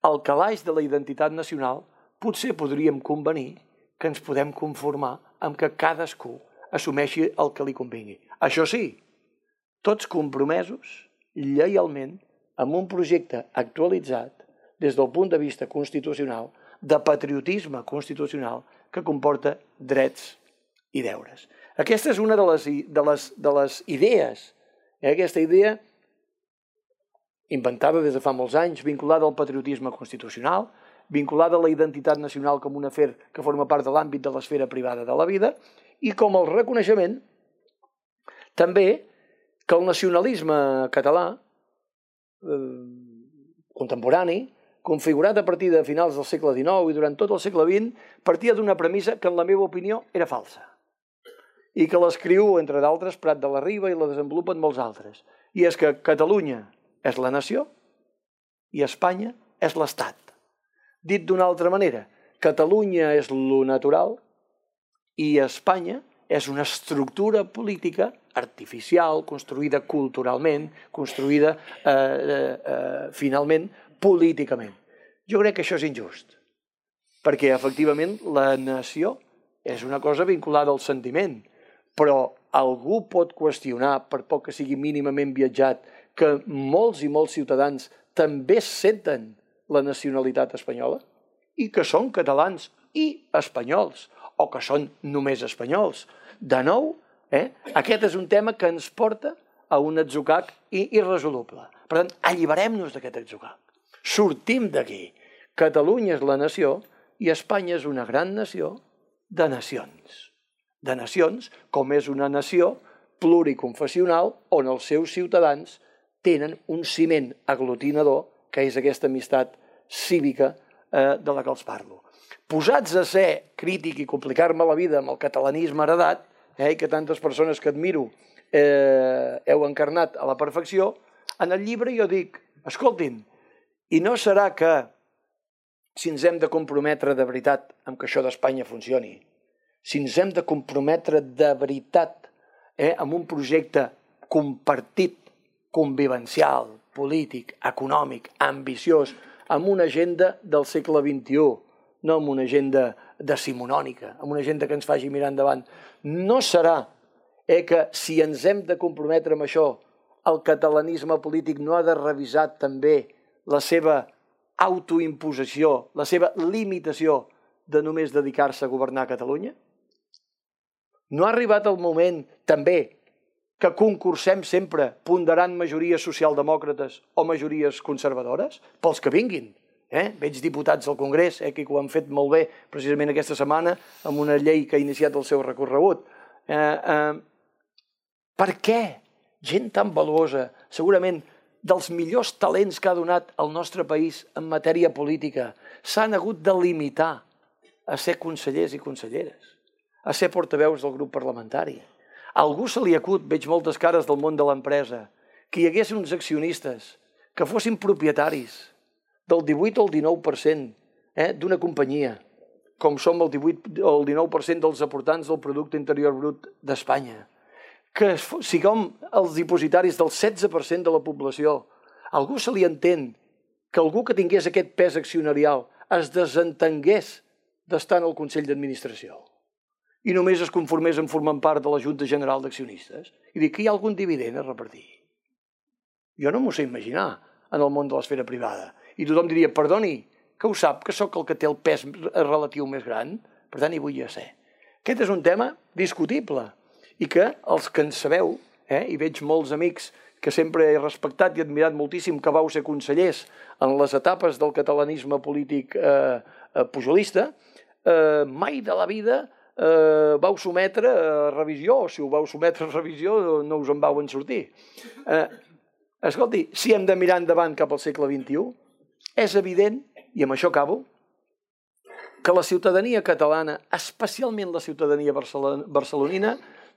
al calaix de la identitat nacional, potser podríem convenir que ens podem conformar amb que cadascú assumeixi el que li convingui. Això sí, tots compromesos, lleialment, amb un projecte actualitzat des del punt de vista constitucional, de patriotisme constitucional que comporta drets i deures. Aquesta és una de les idees, aquesta idea inventada des de fa molts anys, vinculada al patriotisme constitucional, vinculada a la identitat nacional com un afer que forma part de l'àmbit de l'esfera privada de la vida, i com el reconeixement també que el nacionalisme català contemporani, configurat a partir de finals del segle XIX i durant tot el segle XX, partia d'una premissa que, en la meva opinió, era falsa i que l'escriu, entre d'altres, Prat de la Riba, i la desenvolupen molts altres. I és que Catalunya és la nació i Espanya és l'Estat. Dit d'una altra manera, Catalunya és lo natural i Espanya és una estructura política artificial, construïda culturalment, construïda, finalment, políticament. Jo crec que això és injust, perquè, efectivament, la nació és una cosa vinculada al sentiment, però algú pot qüestionar, per poc que sigui mínimament viatjat, que molts i molts ciutadans també senten la nacionalitat espanyola i que són catalans i espanyols, o que són només espanyols. De nou, aquest és un tema que ens porta a un atzucac irresoluble. Per tant, alliberem-nos d'aquest atzucac. Sortim d'aquí. Catalunya és la nació i Espanya és una gran nació de nacions. De nacions, com és una nació pluriconfessional on els seus ciutadans tenen un ciment aglutinador que és aquesta amistat cívica de la que els parlo. Posats a ser crític i complicar-me la vida amb el catalanisme heredat, i que tantes persones que admiro heu encarnat a la perfecció, en el llibre jo dic, escoltin, i no serà que si ens hem de comprometre de veritat amb que això d'Espanya funcioni, si ens hem de comprometre de veritat amb un projecte compartit, convivencial, polític, econòmic, ambiciós, amb una agenda del segle XXI, no amb una agenda decimonònica, amb una agenda que ens faci mirar endavant. No serà que si ens hem de comprometre amb això, el catalanisme polític no ha de revisar també la seva autoimposició, la seva limitació de només dedicar-se a governar Catalunya? No ha arribat el moment també que concursem sempre ponderant majories socialdemòcrates o majories conservadores? Pels que vinguin. Veig diputats al Congrés que ho han fet molt bé precisament aquesta setmana amb una llei que ha iniciat el seu recorregut. Per què gent tan valuosa, segurament dels millors talents que ha donat el nostre país en matèria política, s'han hagut de limitar a ser consellers i conselleres, a ser portaveus del grup parlamentari? A algú se li acut, veig moltes cares del món de l'empresa, que hi hagués uns accionistes que fossin propietaris del 18 al 19% d'una companyia, com som el 18 o el 19% dels aportants del Producte Interior Brut d'Espanya, que siguem els dipositaris del 16% de la població. A algú se li entén que algú que tingués aquest pes accionarial es desentengués d'estar en el Consell d'Administració i només es conformés en formar part de la Junta General d'Accionistes i dir que hi ha algun dividend a repartir. Jo no m'ho sé imaginar en el món de l'esfera privada. I tothom diria, perdoni, que ho sap, que sóc el que té el pes relatiu més gran, per tant hi vull ser. Aquest és un tema discutible i que els que en sabeu, i veig molts amics que sempre he respectat i admirat moltíssim que vau ser consellers en les etapes del catalanisme polític pujolista, mai de la vida vau sometre a revisió, o si ho vau sometre a revisió no us en vau en sortir. Escolti, si hem de mirar endavant cap al segle XXI, és evident, i amb això acabo, que la ciutadania catalana, especialment la ciutadania barcelonina,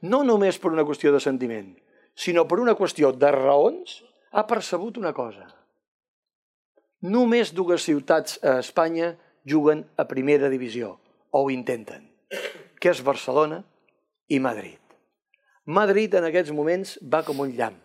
no només per una qüestió de sentiment, sinó per una qüestió de raons, ha percebut una cosa. Només 2 ciutats a Espanya juguen a primera divisió, o ho intenten, que és Barcelona i Madrid. Madrid en aquests moments va com un llamp.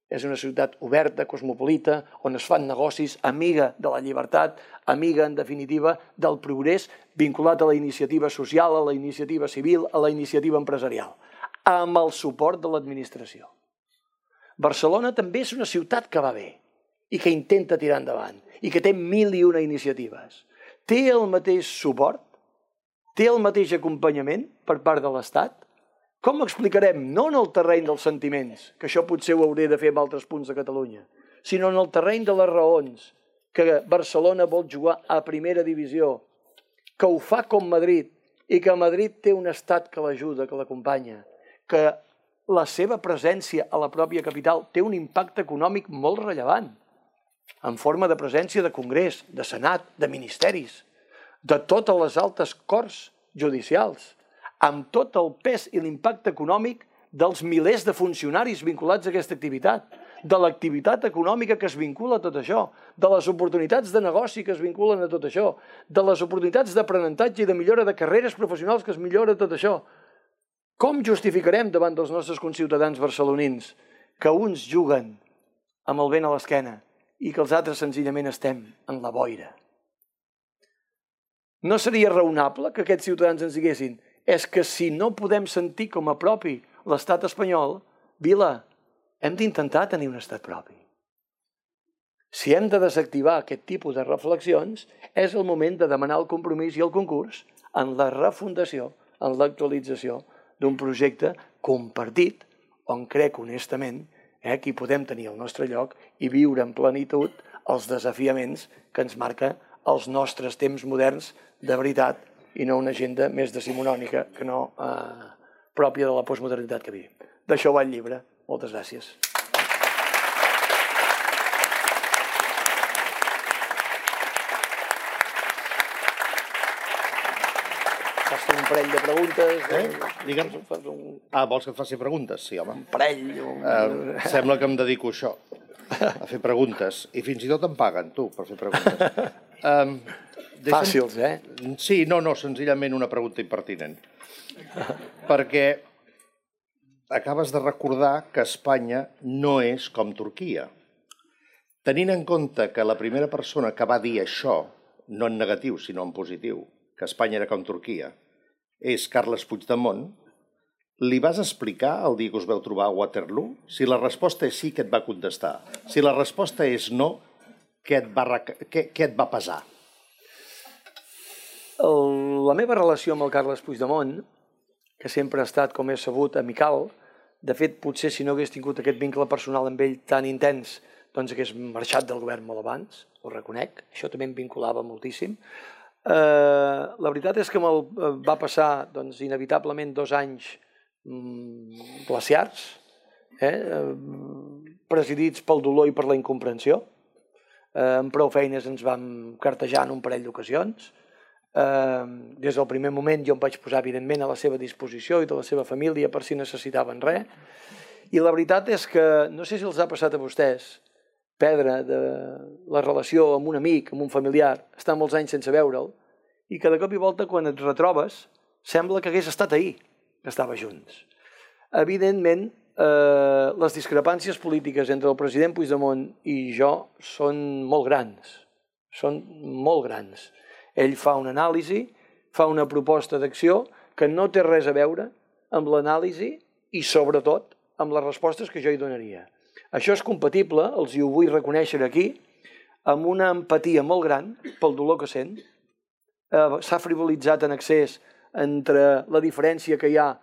És una ciutat oberta, cosmopolita, on es fan negocis, amiga de la llibertat, amiga, en definitiva, del progrés, vinculat a la iniciativa social, a la iniciativa civil, a la iniciativa empresarial, amb el suport de l'administració. Barcelona també és una ciutat que va bé i que intenta tirar endavant i que té 1001 iniciatives. Té el mateix suport? Té el mateix acompanyament per part de l'Estat? Com explicarem, no en el terreny dels sentiments, que això potser ho hauré de fer en altres punts de Catalunya, sinó en el terreny de les raons, que Barcelona vol jugar a primera divisió, que ho fa com Madrid, i que Madrid té un estat que l'ajuda, que l'acompanya, que la seva presència a la pròpia capital té un impacte econòmic molt rellevant, en forma de presència de Congrés, de Senat, de ministeris, de totes les altes corts judicials, amb tot el pes i l'impacte econòmic dels milers de funcionaris vinculats a aquesta activitat, de l'activitat econòmica que es vincula a tot això, de les oportunitats de negoci que es vinculen a tot això, de les oportunitats d'aprenentatge i de millora de carreres professionals que es millora tot això. Com justificarem davant dels nostres conciutadans barcelonins que uns juguen amb el vent a l'esquena i que els altres senzillament estem en la boira? No seria raonable que aquests ciutadans ens diguessin és que si no podem sentir com a propi l'estat espanyol, Vila, hem d'intentar tenir un estat propi. Si hem de desactivar aquest tipus de reflexions, és el moment de demanar el compromís i el concurs en la refundació, en l'actualització d'un projecte compartit on crec honestament que hi podem tenir el nostre lloc i viure en plenitud els desafiaments que ens marca els nostres temps moderns de veritat i no una agenda més decimonònica que no pròpia de la postmodernitat que vivim. D'això va el llibre. Moltes gràcies. Fas un parell de preguntes. Digue'm. Vols que et faci preguntes? Sí, home. Un parell. Sembla que em dedico a això, a fer preguntes. I fins i tot em paguen, tu, per fer preguntes. Fàcils, Sí, no, senzillament una pregunta impertinent. Perquè acabes de recordar que Espanya no és com Turquia. Tenint en compte que la primera persona que va dir això, no en negatiu, sinó en positiu, que Espanya era com Turquia, és Carles Puigdemont, li vas explicar el dia que us vau trobar a Waterloo? Si la resposta és sí, què et va contestar? Si la resposta és no, què et va pesar? La meva relació amb el Carles Puigdemont, que sempre ha estat, com he sabut, amical, de fet, potser si no hagués tingut aquest vincle personal amb ell tan intens, doncs hagués marxat del govern molt abans, ho reconec, això també em vinculava moltíssim. La veritat és que me'l va passar inevitablement 2 anys glaciars, presidits pel dolor i per la incomprensió. Amb prou feines ens vam cartejar en un parell d'ocasions. Des del primer moment jo em vaig posar evidentment a la seva disposició i de la seva família per si necessitaven res. I la veritat és que, no sé si els ha passat a vostès, perdre la relació amb un amic, amb un familiar, estar molts anys sense veure'l, i que de cop i volta quan et retrobes sembla que hagués estat ahir que estava junts. Evidentment, les discrepàncies polítiques entre el president Puigdemont i jo són molt grans. Són molt grans. Ell fa una anàlisi, fa una proposta d'acció que no té res a veure amb l'anàlisi i, sobretot, amb les respostes que jo hi donaria. Això és compatible, els ho vull reconèixer aquí, amb una empatia molt gran pel dolor que sent. S'ha frivolitzat en excés entre la diferència que hi ha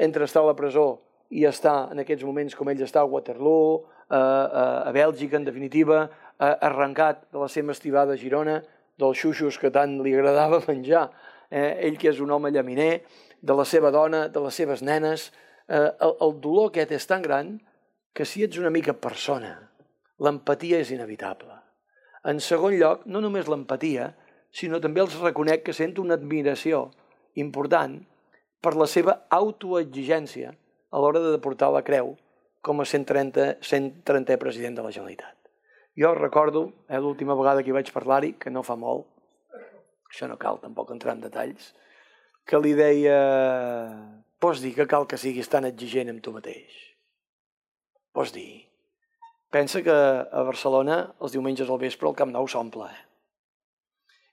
entre estar a la presó i estar en aquests moments com ell està a Waterloo, a Bèlgica, en definitiva, arrencat de la seva estivada a Girona, dels xuxos que tant li agradava menjar, ell que és un home llaminer, de la seva dona, de les seves nenes. El dolor aquest és tan gran que si ets una mica persona, l'empatia és inevitable. En segon lloc, no només l'empatia, sinó també els reconec que sento una admiració important per la seva autoexigència a l'hora de portar la creu com a 130è president de la Generalitat. Jo recordo, l'última vegada que hi vaig parlar-hi, que no fa molt, això no cal tampoc entrar en detalls, que li deia, pots dir que cal que siguis tan exigent amb tu mateix? Pots dir? Pensa que a Barcelona els diumenges al vespre el Camp Nou s'omple.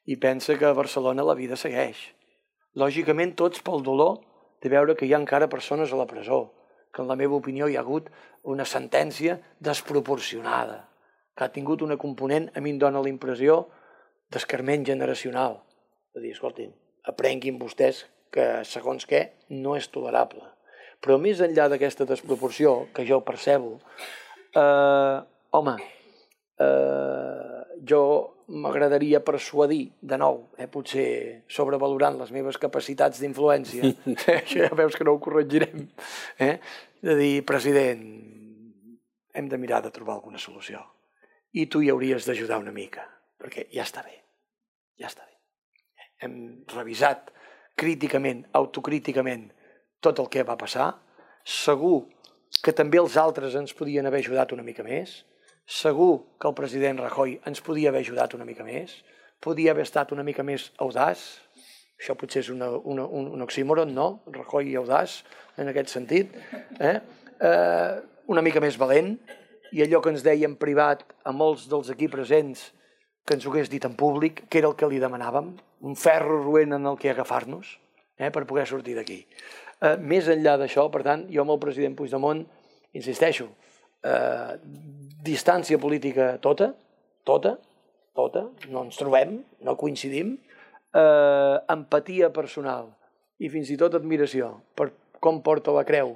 I pensa que a Barcelona la vida segueix. Lògicament tots pel dolor de veure que hi ha encara persones a la presó, que en la meva opinió hi ha hagut una sentència desproporcionada, que ha tingut una component, a mi em dóna la impressió, d'escarment generacional. De dir, escoltin, aprenguin vostès que segons què no és tolerable. Però més enllà d'aquesta desproporció, que jo percebo, jo m'agradaria persuadir, de nou, potser sobrevalorant les meves capacitats d'influència, això ja veus que no ho corregirem, de dir, president, hem de mirar de trobar alguna solució. I tu hi hauries d'ajudar una mica, perquè ja està bé, ja està bé. Hem revisat críticament, autocríticament, tot el que va passar. Segur que també els altres ens podien haver ajudat una mica més. Segur que el president Rajoy ens podia haver ajudat una mica més. Podia haver estat una mica més audaç. Això potser és un oxímoron, no? Rajoy i audaç, en aquest sentit. Una mica més valent. I allò que ens deia en privat a molts dels aquí presents, que ens ho hagués dit en públic, que era el que li demanàvem, un ferro roent en el que agafar-nos, per poder sortir d'aquí. Més enllà d'això, per tant, jo amb el president Puigdemont, insisteixo, distància política tota, no ens trobem, no coincidim, empatia personal i fins i tot admiració per com porta la creu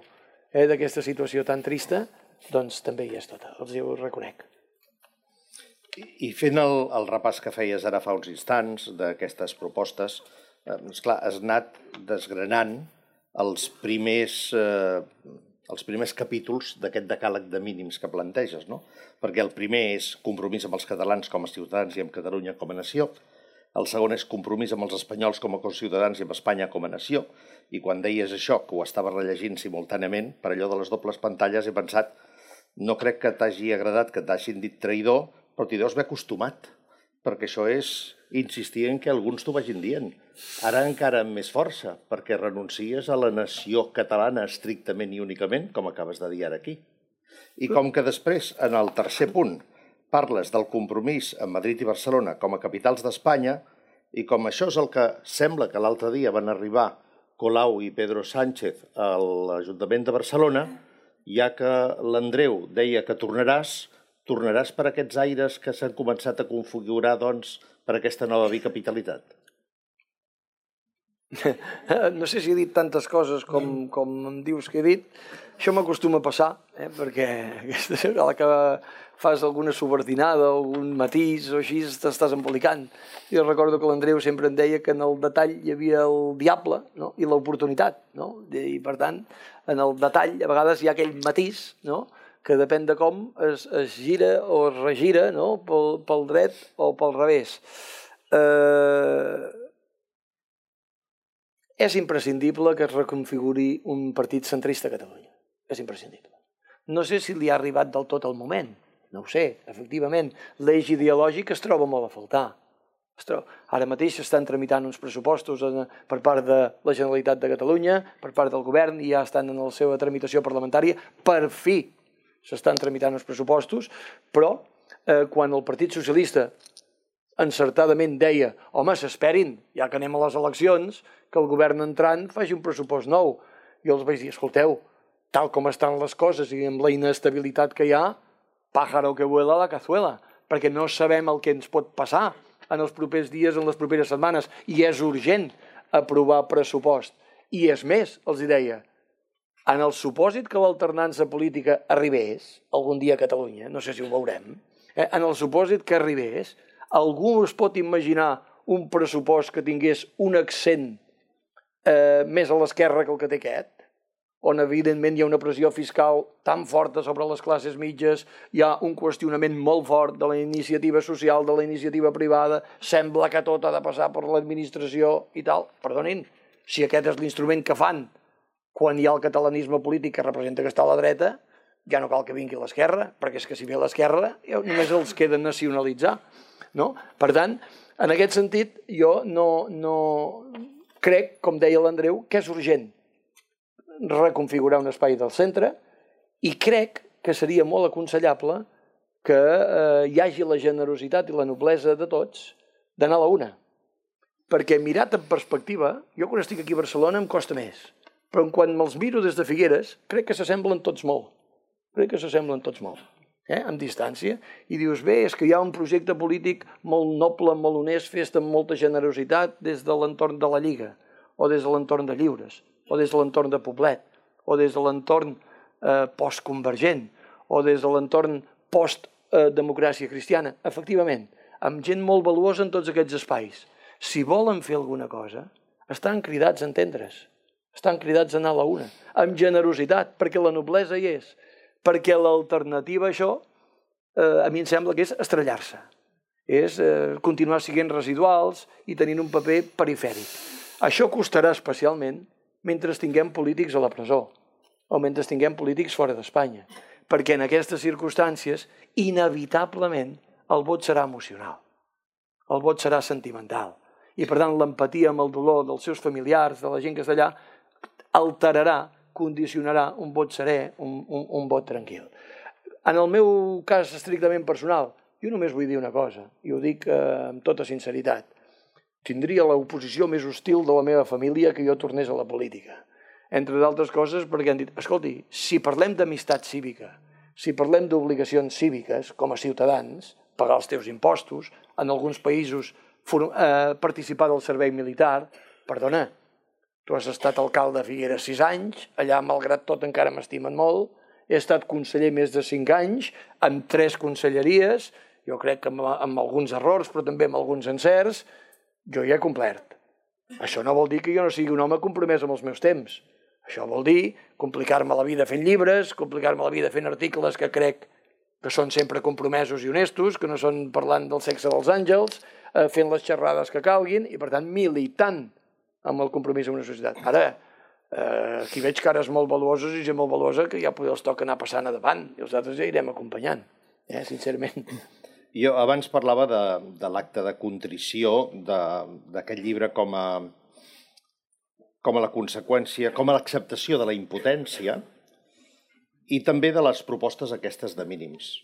d'aquesta situació tan trista, doncs també hi és tota, els ho reconec. I fent el repàs que feies ara fa uns instants d'aquestes propostes, esclar, has anat desgranant els primers capítols d'aquest decàleg de mínims que planteges, no? Perquè el primer és compromís amb els catalans com a ciutadans i amb Catalunya com a nació, el segon és compromís amb els espanyols com a conciutadans i amb Espanya com a nació, i quan deies això, que ho estava rellegint simultàniament, per allò de les dobles pantalles he pensat, no crec que t'hagi agradat que t'hagin dit traïdor, però t'hi deus haver acostumat, perquè això és insistir en que alguns t'ho vagin dient. Ara encara amb més força, perquè renuncies a la nació catalana estrictament i únicament, com acabes de dir ara aquí. I com que després, en el tercer punt, parles del compromís amb Madrid i Barcelona com a capitals d'Espanya, i com això és el que sembla que l'altre dia van arribar Colau i Pedro Sánchez a l'Ajuntament de Barcelona, ja que l'Andreu deia que tornaràs per aquests aires que s'han començat a configurar, doncs, per aquesta nova bicapitalitat? No sé si he dit tantes coses com em dius que he dit. Això m'acostuma a passar, perquè aquesta vegada que fas alguna subordinada, algun matís o així, t'estàs embolicant. Jo recordo que l'Andreu sempre em deia que en el detall hi havia el diable i l'oportunitat. I per tant, en el detall a vegades hi ha aquell matís que depèn de com es gira o es regira pel dret o pel revés. És imprescindible que es reconfiguri un partit centrista a Catalunya. És imprescindible. No sé si li ha arribat del tot el moment. No ho sé, efectivament. L'eix ideològic es troba molt a faltar. Ara mateix s'estan tramitant uns pressupostos per part de la Generalitat de Catalunya, per part del govern, i ja estan en la seva tramitació parlamentària. Per fi s'estan tramitant uns pressupostos, però quan el Partit Socialista encertadament deia home, s'esperin, ja que anem a les eleccions, que el govern entrant faci un pressupost nou. Jo els vaig dir, escolteu, tal com estan les coses i amb la inestabilitat que hi ha, pájaro que vuela la cazuela, perquè no sabem el que ens pot passar en els propers dies, en les properes setmanes, i és urgent aprovar pressupost. I és més, els deia, en el supòsit que l'alternança política arribés algun dia a Catalunya, no sé si ho veurem, en el supòsit que arribés, algú es pot imaginar un pressupost que tingués un accent més a l'esquerra que el que té aquest, on evidentment hi ha una pressió fiscal tan forta sobre les classes mitges, hi ha un qüestionament molt fort de la iniciativa social, de la iniciativa privada, sembla que tot ha de passar per l'administració i tal. Perdonin, si aquest és l'instrument que fan quan hi ha el catalanisme polític que representa que està a la dreta, ja no cal que vingui l'esquerra, perquè és que si ve l'esquerra només els queda nacionalitzar. Per tant, en aquest sentit, jo no crec, com deia l'Andreu, que és urgent reconfigurar un espai del centre, i crec que seria molt aconsellable que hi hagi la generositat i la noblesa de tots d'anar a la una. Perquè mirat en perspectiva, jo quan estic aquí a Barcelona em costa més, però quan me'ls miro des de Figueres crec que s'assemblen tots molt. Amb distància, i dius, bé, és que hi ha un projecte polític molt noble, molt honest, fet amb molta generositat des de l'entorn de la Lliga, o des de l'entorn de Lliures, o des de l'entorn de Poblet, o des de l'entorn postconvergent, o des de l'entorn post-democràcia cristiana. Efectivament, amb gent molt valuosa en tots aquests espais. Si volen fer alguna cosa, estan cridats a entendre's, estan cridats a anar a la una, amb generositat, perquè la noblesa hi és. Perquè l'alternativa a això, a mi em sembla que és estrellar-se. És continuar sent residuals i tenint un paper perifèric. Això costarà especialment mentre tinguem polítics a la presó o mentre tinguem polítics fora d'Espanya. Perquè en aquestes circumstàncies, inevitablement, el vot serà emocional. El vot serà sentimental. I, per tant, l'empatia amb el dolor dels seus familiars, de la gent que està allà, alterarà, condicionarà un vot serè, un vot tranquil. En el meu cas estrictament personal, jo només vull dir una cosa, i ho dic amb tota sinceritat. Tindria l'oposició més hostil de la meva família que jo tornés a la política. entre d'altres coses perquè han dit, escolti, si parlem d'amistat cívica, si parlem d'obligacions cíviques com a ciutadans, pagar els teus impostos, en alguns països participar del servei militar, perdona, tu has estat alcalde de Figueres 6 anys, allà malgrat tot encara m'estimen molt, he estat conseller més de 5 anys, amb 3 conselleries, jo crec que amb alguns errors, però també amb alguns encerts, jo ja he complert. Això no vol dir que jo no sigui un home compromès amb els meus temps. Això vol dir complicar-me la vida fent llibres, complicar-me la vida fent articles que crec que són sempre compromesos i honestos, que no són parlant del sexe dels àngels, fent les xerrades que calguin i, per tant, militant amb el compromís amb una societat. Ara, aquí veig cares molt valuoses i gent molt valuosa que ja potser els toca anar passant a davant i els altres ja irem acompanyant, sincerament. Jo abans parlava de l'acte de contrició d'aquest llibre com a la conseqüència, com a l'acceptació de la impotència i també de les propostes aquestes de mínims.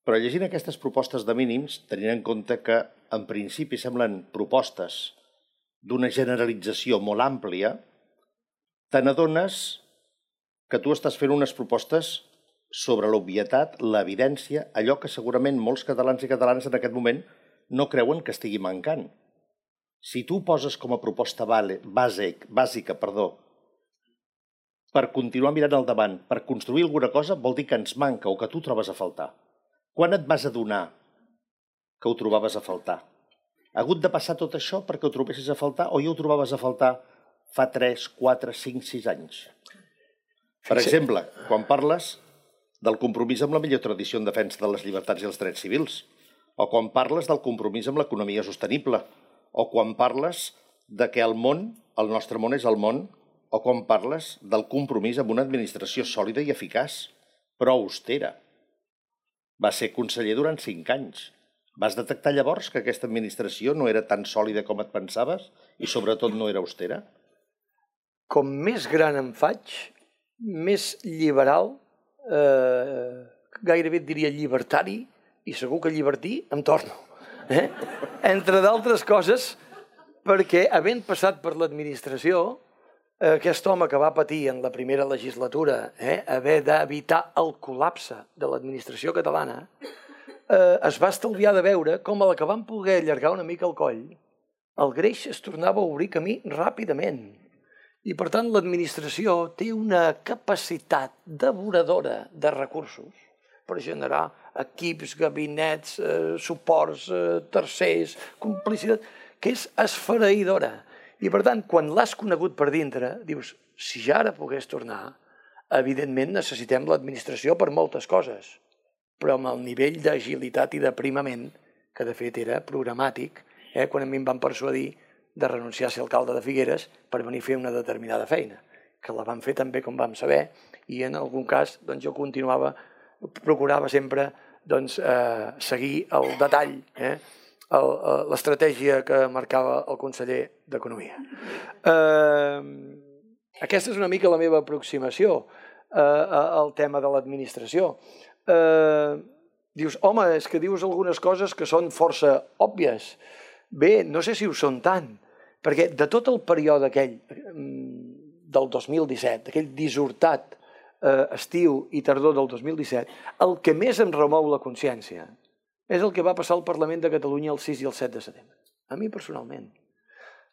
Però llegint aquestes propostes de mínims, tenint en compte que en principi semblen propostes d'una generalització molt àmplia, te n'adones que tu estàs fent unes propostes sobre l'obvietat, l'evidència, allò que segurament molts catalans i catalanes en aquest moment no creuen que estigui mancant. Si tu poses com a proposta bàsica, per continuar mirant al davant, per construir alguna cosa, vol dir que ens manca o que tu trobes a faltar. Quan et vas adonar que ho trobaves a faltar? Ha hagut de passar tot això perquè ho trobessis a faltar o ja ho trobaves a faltar fa 3, 4, 5, 6 anys? Per exemple, quan parles del compromís amb la millor tradició en defensa de les llibertats i els drets civils, o quan parles del compromís amb l'economia sostenible, o quan parles de que el nostre món és el món, o quan parles del compromís amb una administració sòlida i eficaç, però austera. Vas ser conseller durant 5 anys. Vas detectar llavors que aquesta administració no era tan sòlida com et pensaves i sobretot no era austera? Com més gran em faig, més liberal, gairebé et diria llibertari, i segur que llibertí em torno. Entre d'altres coses, perquè havent passat per l'administració, aquest home que va patir en la primera legislatura haver d'evitar el col·lapse de l'administració catalana, es va estalviar de veure com a la que van poder allargar una mica el coll, el greix es tornava a obrir camí ràpidament. I, per tant, l'administració té una capacitat devoradora de recursos per generar equips, gabinets, suports, tercers, complicitat, que és esfereïdora. I, per tant, quan l'has conegut per dintre, dius, si ja ara pogués tornar, evidentment necessitem l'administració per moltes coses, però amb el nivell d'agilitat i d'aprimament, que de fet era programàtic, quan a mi em van persuadir de renunciar a ser alcalde de Figueres per venir a fer una determinada feina, que la vam fer també com vam saber, i en algun cas jo procurava sempre seguir el detall, l'estratègia que marcava el conseller d'Economia. Aquesta és una mica la meva aproximació al tema de l'administració. Dius, home, és que dius algunes coses que són força òbvies. Bé, no sé si ho són tant, perquè de tot el període aquell del 2017, aquell dissortat estiu i tardor del 2017, el que més em remou la consciència és el que va passar al Parlament de Catalunya el 6 i el 7 de setembre. A mi personalment.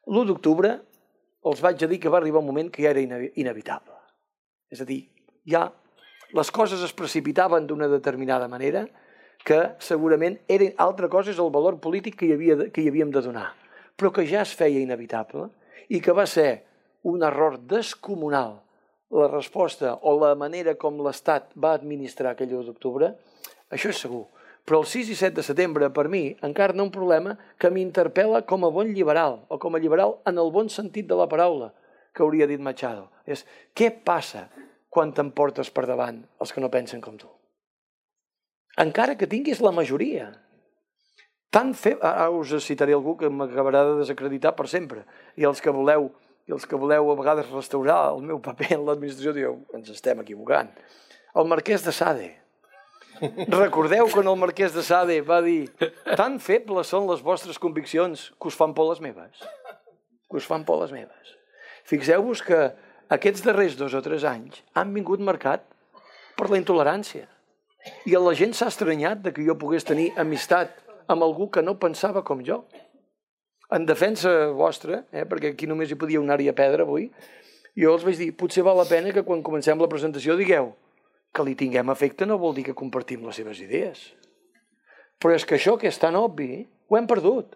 L'1 d'octubre els vaig dir que va arribar un moment que ja era inevitable. És a dir, ja les coses es precipitaven d'una determinada manera que segurament altra cosa és el valor polític que hi havíem de donar, però que ja es feia inevitable i que va ser un error descomunal la resposta o la manera com l'Estat va administrar aquell 1 d'octubre, això és segur. Però el 6 i 7 de setembre, per mi, encarna un problema que m'interpel·la com a bon liberal, o com a liberal en el bon sentit de la paraula, que hauria dit Machado. És, què passa quan t'emportes per davant els que no pensen com tu? Encara que tinguis la majoria. Ara us citaré algú que m'acabarà de desacreditar per sempre. I els que voleu a vegades restaurar el meu paper en l'administració dieu, ens estem equivocant. El marquès de Sade. Recordeu quan el marquès de Sade va dir tan febles són les vostres conviccions que us fan por les meves. Que us fan por les meves. Fixeu-vos que aquests darrers 2 o 3 anys han vingut marcat per la intolerància. I la gent s'ha estranyat de que jo pogués tenir amistat amb algú que no pensava com jo. En defensa vostra, perquè aquí només hi podia anar-hi a pedra avui, jo els vaig dir, potser val la pena que quan comencem la presentació digueu que li tinguem afecte no vol dir que compartim les seves idees. Però és que això que és tan obvi, ho hem perdut.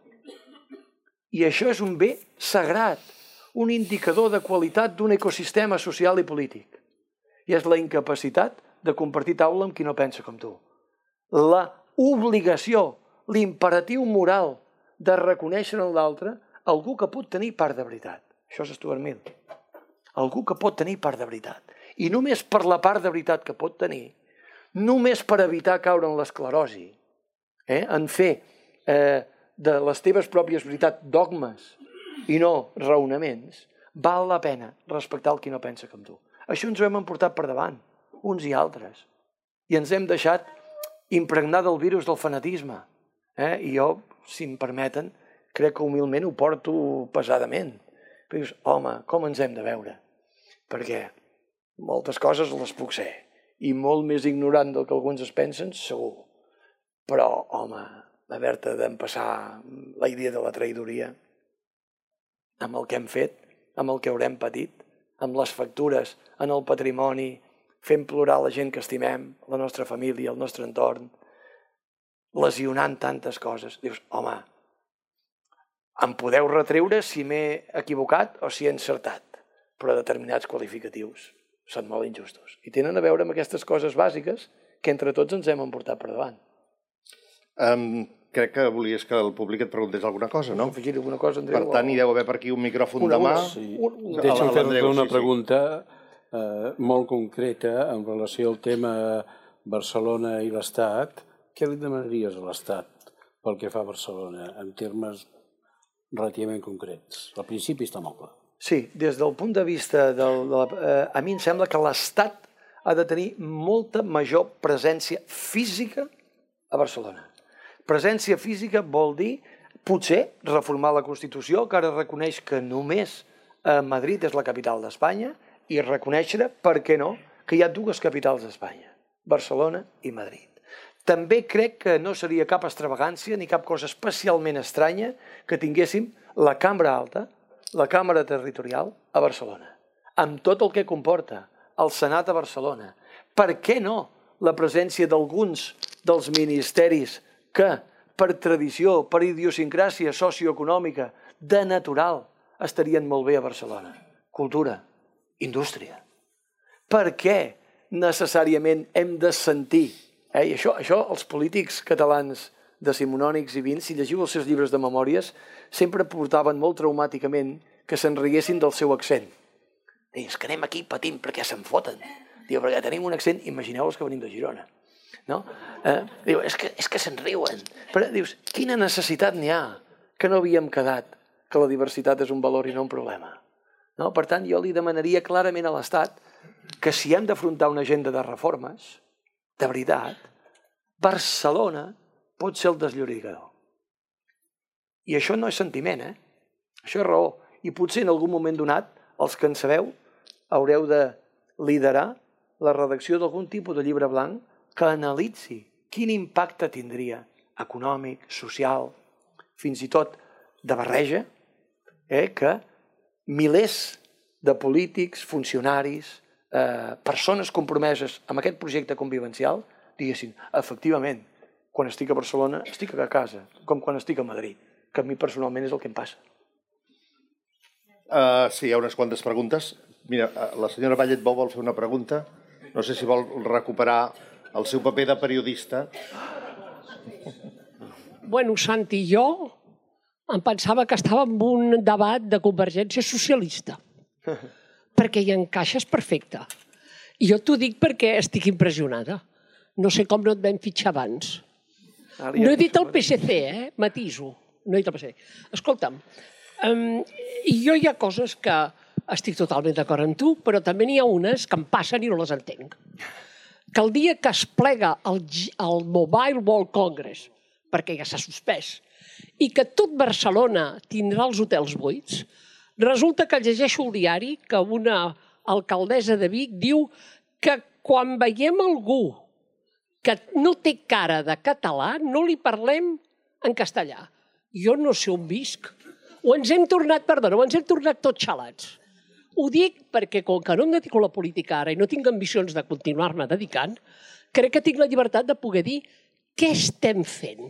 I això és un bé sagrat, un indicador de qualitat d'un ecosistema social i polític. I és la incapacitat de compartir taula amb qui no pensa com tu. La obligació, l'imperatiu moral de reconèixer en l'altre algú que pot tenir part de veritat. Això és Stuart Mill. Algú que pot tenir part de veritat. I només per la part de veritat que pot tenir, només per evitar caure en l'esclerosi, en fer de les teves pròpies veritats dogmes i no raonaments, val la pena respectar el qui no pensa com tu. Això ens ho hem emportat per davant, uns i altres. I ens hem deixat impregnar del virus del fanatisme. I jo, si em permeten, crec que humilment ho porto pesadament. Però dius, home, com ens hem de veure? Perquè moltes coses les puc ser. I molt més ignorant del que alguns es pensen, segur. Però, home, haver-te d'empassar la idea de la traïdoria amb el que hem fet, amb el que haurem patit, amb les factures en el patrimoni, fent plorar la gent que estimem, la nostra família, el nostre entorn, lesionant tantes coses. Dius, home, em podeu retreure si m'he equivocat o si he encertat, però determinats qualificatius són molt injustos. I tenen a veure amb aquestes coses bàsiques que entre tots ens hem emportat per davant. Crec que volies que el públic et preguntés alguna cosa, no? Afegir alguna cosa, Andreu? Per tant, hi deu haver per aquí un micròfon de mà. Deixa'm fer-te una pregunta molt concreta en relació al tema Barcelona i l'Estat. Què li demanaries a l'Estat pel que fa a Barcelona, en termes relativament concrets? Al principi està molt clar. Sí, des del punt de vista a mi em sembla que l'Estat ha de tenir molta major presència física a Barcelona. Presència física vol dir, potser, reformar la Constitució, que ara reconeix que només Madrid és la capital d'Espanya, i reconèixer, per què no, que hi ha 2 capitals d'Espanya, Barcelona i Madrid. També crec que no seria cap extravagància ni cap cosa especialment estranya que tinguéssim la Cambra Alta, la Càmera Territorial a Barcelona, amb tot el que comporta, el Senat a Barcelona. Per què no la presència d'alguns dels ministeris que, per tradició, per idiosincràsia socioeconòmica, de natural, estarien molt bé a Barcelona? Cultura, indústria. Per què necessàriament hem de sentir? I això els polítics catalans decimonònics i vins, si llegiu els seus llibres de memòries, sempre portaven molt traumàticament que se'n riguessin del seu accent. És que anem aquí patint perquè se'n foten. Diu, perquè tenim un accent, imagineu-vos que venim de Girona. Diu, és que se'n riuen. Però dius, quina necessitat n'hi ha que no havíem quedat que la diversitat és un valor i no un problema? Per tant, jo li demanaria clarament a l'Estat que si hem d'afrontar una agenda de reformes, de veritat, Barcelona pot ser el desllorigador. I això no és sentiment, això és raó. I potser en algun moment donat, els que en sabeu, haureu de liderar la redacció d'algun tipus de llibre blanc que analitzi quin impacte tindria econòmic, social, fins i tot de barreja, que milers de polítics, funcionaris, persones compromeses amb aquest projecte convivencial, diguessin, efectivament, quan estic a Barcelona estic a casa, com quan estic a Madrid, que a mi personalment és el que em passa. Sí, hi ha unes quantes preguntes. Mira, la senyora Vallet-Bou vol fer una pregunta. No sé si vol recuperar el seu paper de periodista. Bueno, Santi, jo em pensava que estava en un debat de Convergència Socialista, perquè hi encaixes perfecte. I jo t'ho dic perquè estic impressionada. No sé com no et vam fitxar abans. No he dit el PSC, matiso. No he dit el PSC. Escolta'm, jo hi ha coses que estic totalment d'acord amb tu, però també n'hi ha unes que em passen i no les entenc. Que el dia que es plega el Mobile World Congress, perquè ja s'ha suspès, i que tot Barcelona tindrà els hotels buits, resulta que llegeixo el diari que una alcaldessa de Vic, diu que quan veiem algú que no té cara de català, no li parlem en castellà. Jo no sé on visc. O ens hem tornat tots xalats. Ho dic perquè, com que no em dedico a la política ara i no tinc ambicions de continuar-me dedicant, crec que tinc la llibertat de poder dir què estem fent.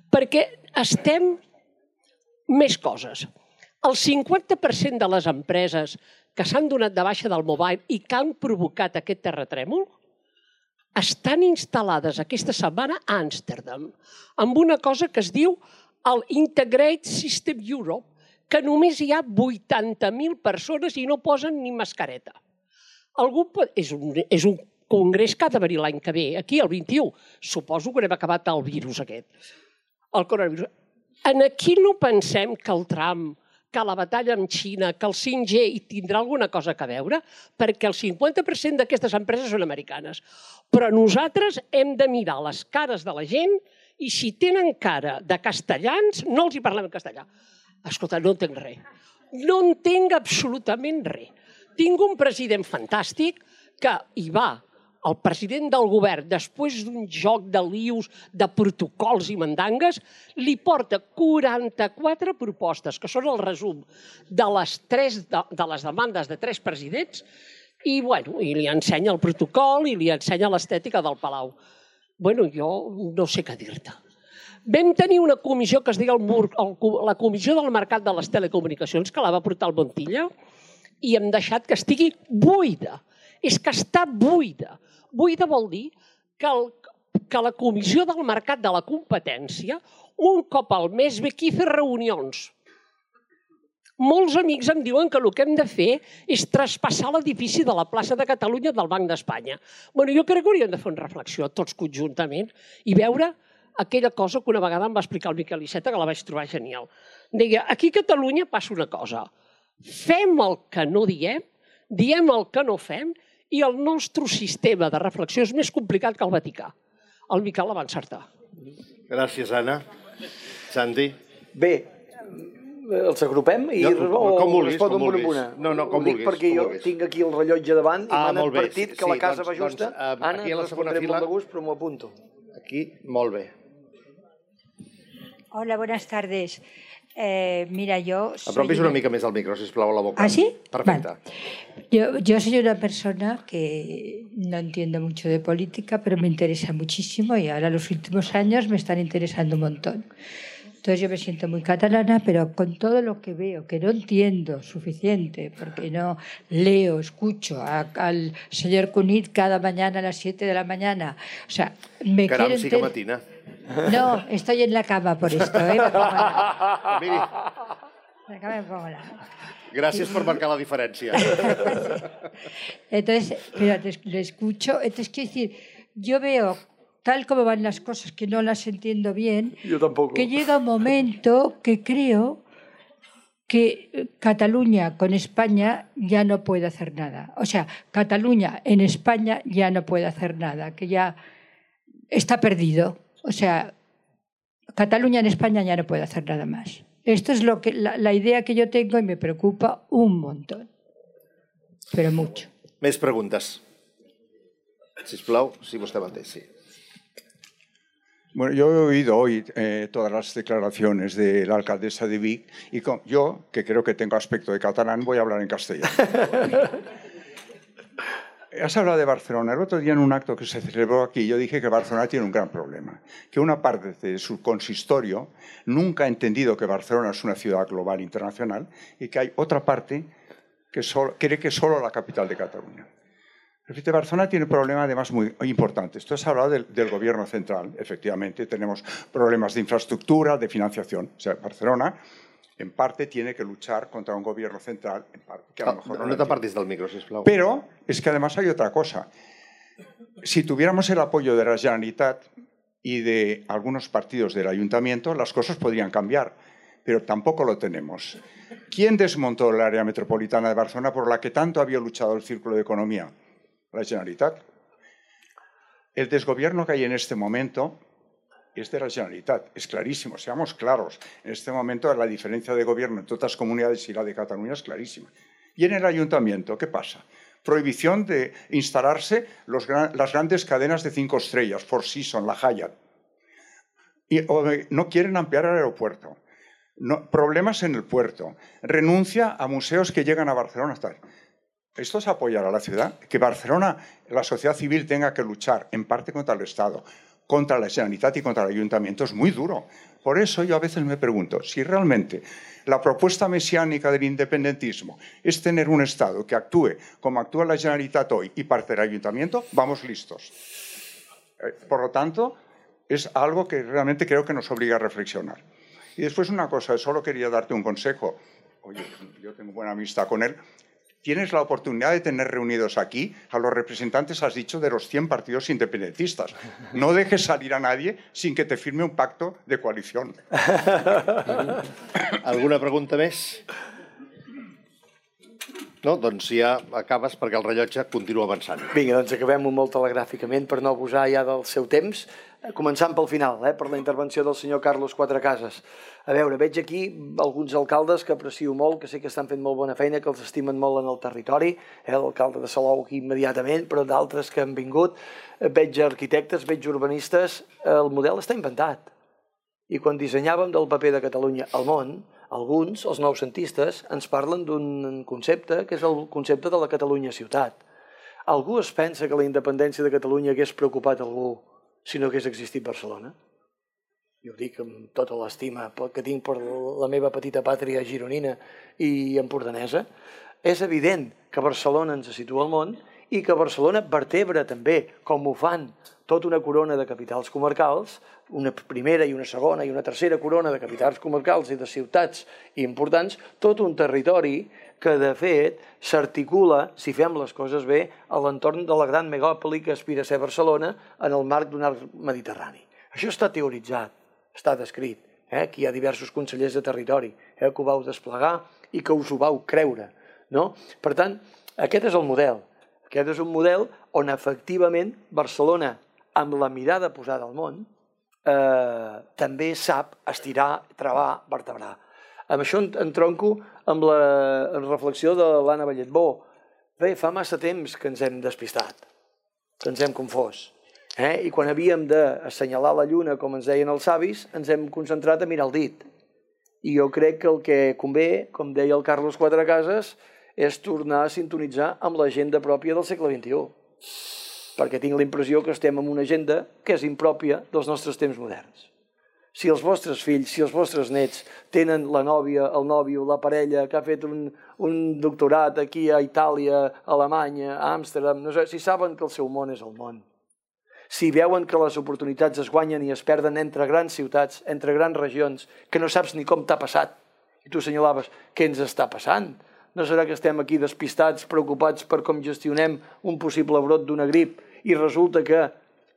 Perquè estem més coses. El 50% de les empreses que s'han donat de baixa del mobile i que han provocat aquest terratrèmol estan instal·lades aquesta setmana a Amsterdam, amb una cosa que es diu el Integrated System Europe, que només hi ha 80.000 persones i no posen ni mascareta. És un congrés que ha de venir l'any que ve, aquí el 21. Suposo que haurem acabat el virus aquest, el coronavirus. Aquí no pensem que el Trump, que la batalla amb Xina, que el 5G hi tindrà alguna cosa a veure, perquè el 50% d'aquestes empreses són americanes. Però nosaltres hem de mirar les cares de la gent i si tenen cara de castellans, no els hi parlem en castellà. Escolta, no entenc res. No entenc absolutament res. Tinc un president fantàstic que hi va, el president del govern, després d'un joc de lius, de protocols i mandangues, li porta 44 propostes, que són el resum de les demandes de 3 presidents, i li ensenya el protocol i li ensenya l'estètica del Palau. Jo no sé què dir-te. Vam tenir una comissió que es deia la Comissió del Mercat de les Telecomunicacions, que la va portar el Montilla, i hem deixat que estigui buida. És que està buida. Buida vol dir que la Comissió del Mercat de la Competència un cop al mes ve aquí a fer reunions. Molts amics em diuen que el que hem de fer és traspassar l'edifici de la plaça de Catalunya del Banc d'Espanya. Jo crec que hauríem de fer una reflexió tots conjuntament i veure aquella cosa que una vegada em va explicar el Miquel Iceta, que la vaig trobar genial. Deia, aquí a Catalunya passa una cosa. Fem el que no diem el que no fem i el nostre sistema de reflexió és més complicat que el Vaticà. El Miquel la va encertar. Gràcies, Anna. Santi? Bé, els agrupem i responen una a una? No, com vulguis. Perquè jo tinc aquí el rellotge davant i m'han advertit que la casa va justa. Anna, no respondré molt de gust, però m'ho apunto. Aquí, molt bé. Hola, buenas tardes. Mira, yo... Apropis una mica més al micro, sisplau, a la boca. ¿Ah, sí? Perfecte. Vale. Yo soy una persona que no entiendo mucho de política, pero me interesa muchísimo y ahora los últimos años me están interesando un montón. Entonces yo me siento muy catalana, pero con todo lo que veo, que no entiendo suficiente, porque no leo, escucho al señor Cunit cada mañana a las 7 de la mañana. O sea, me quiero Caram, sí que matina. No, estoy en la cama por esto, ¿eh? Miri. La cama me pongo la... Gràcies per marcar la diferència. Entonces, pero le escucho, entonces quiero decir, yo veo tal como van las cosas, que no las entiendo bien, yo tampoco. Que llega un momento que creo que Cataluña con España ya no puede hacer nada. O sea, Cataluña en España ya no puede hacer nada, que ya está perdido. O sea, Cataluña en España ya no puede hacer nada más. Esto es la idea que yo tengo y me preocupa un montón. Pero mucho. Més preguntes. Sisplau, si vostè mateix, sí. Bueno, yo he oído hoy todas las declaraciones de la alcaldesa de Vic y yo, que creo que tengo aspecto de catalán, voy a hablar en castellano. Has hablado de Barcelona. El otro día en un acto que se celebró aquí yo dije que Barcelona tiene un gran problema, que una parte de su consistorio nunca ha entendido que Barcelona es una ciudad global internacional y que hay otra parte que cree que es solo la capital de Cataluña. Barcelona tiene un problema además muy importante. Tú has hablado del gobierno central. Efectivamente, tenemos problemas de infraestructura, de financiación. O sea, Barcelona, en parte, tiene que luchar contra un gobierno central, en parte, que a lo mejor no t'apartis del micro, sisplau. Pero es que además hay otra cosa. Si tuviéramos el apoyo de la Generalitat y de algunos partidos del Ayuntamiento, las cosas podrían cambiar, pero tampoco lo tenemos. ¿Quién desmontó el área metropolitana de Barcelona por la que tanto había luchado el Círculo de Economía? La Generalitat. El desgobierno que hay en este momento es de la Generalitat, es clarísimo, seamos claros. En este momento la diferencia de gobierno entre otras comunidades y la de Cataluña es clarísima. Y en el ayuntamiento, ¿qué pasa? Prohibición de instalarse las grandes cadenas de 5 estrellas, Four Seasons, la Hyatt. Y no quieren ampliar el aeropuerto. Problemas en el puerto. Renuncia a museos que llegan a Barcelona. Esto es apoyar a la ciudad. Que Barcelona, la sociedad civil, tenga que luchar en parte contra el Estado, contra la Generalitat y contra el Ayuntamiento es muy duro. Por eso yo a veces me pregunto si realmente la propuesta mesiánica del independentismo es tener un Estado que actúe como actúa la Generalitat hoy y parte del Ayuntamiento, vamos listos. Por lo tanto, es algo que realmente creo que nos obliga a reflexionar. Y después una cosa, solo quería darte un consejo. Oye, yo tengo buena amistad con él. Tienes la oportunidad de tener reunidos aquí a los representantes, has dicho, de los 100 partidos independentistas. No dejes salir a nadie sin que te firme un pacto de coalición. Alguna pregunta més? No? Doncs ja acabes perquè el rellotge continua avançant. Vinga, doncs acabem-ho molt telegràficament per no abusar ja del seu temps. Començant pel final, per la intervenció del senyor Carlos Cuatrecases. A veure, veig aquí alguns alcaldes que aprecio molt, que sé que estan fent molt bona feina, que els estimen molt en el territori, l'alcalde de Salou aquí immediatament, però d'altres que han vingut. Veig arquitectes, veig urbanistes, el model està inventat. I quan dissenyàvem del paper de Catalunya al món, alguns, els noucentistes, ens parlen d'un concepte que és el concepte de la Catalunya ciutat. Algú es pensa que la independència de Catalunya hagués preocupat algú si no hagués existit Barcelona? Jo ho dic amb tota l'estima que tinc per la meva petita pàtria gironina i empordanesa. És evident que Barcelona ens situa al món i que Barcelona vertebra també, com ho fan tota una corona de capitals comarcals, una primera i una segona i una tercera corona de capitals comarcals i de ciutats importants, tot un territori que, de fet, s'articula, si fem les coses bé, a l'entorn de la gran megàpoli que aspira a ser Barcelona en el marc d'un arc mediterrani. Això està teoritzat, està descrit. Aquí hi ha diversos consellers de territori que ho vau desplegar i que us ho vau creure. Per tant, aquest és el model. Aquest és un model on, efectivament, Barcelona, amb la mirada posada al món, també sap estirar, travar, vertebrar. Amb això entronco amb la reflexió de l'Anna Balletbó. Bé, fa massa temps que ens hem despistat, que ens hem confós. I quan havíem d'assenyalar la lluna, com ens deien els savis, ens hem concentrat a mirar el dit. I jo crec que el que convé, com deia el Carlos Cuatrecases, és tornar a sintonitzar amb l'agenda pròpia del segle XXI. Perquè tinc la impressió que estem en una agenda que és impròpia dels nostres temps moderns. Si els vostres fills, si els vostres nets tenen la nòvia, el nòvio, la parella que ha fet un doctorat aquí a Itàlia, a Alemanya, a Amsterdam, no sé, si saben que el seu món és el món, si veuen que les oportunitats es guanyen i es perden entre grans ciutats, entre grans regions, que no saps ni com t'ha passat, i tu assenyalaves què ens està passant, no serà que estem aquí despistats, preocupats per com gestionem un possible brot d'una grip i resulta que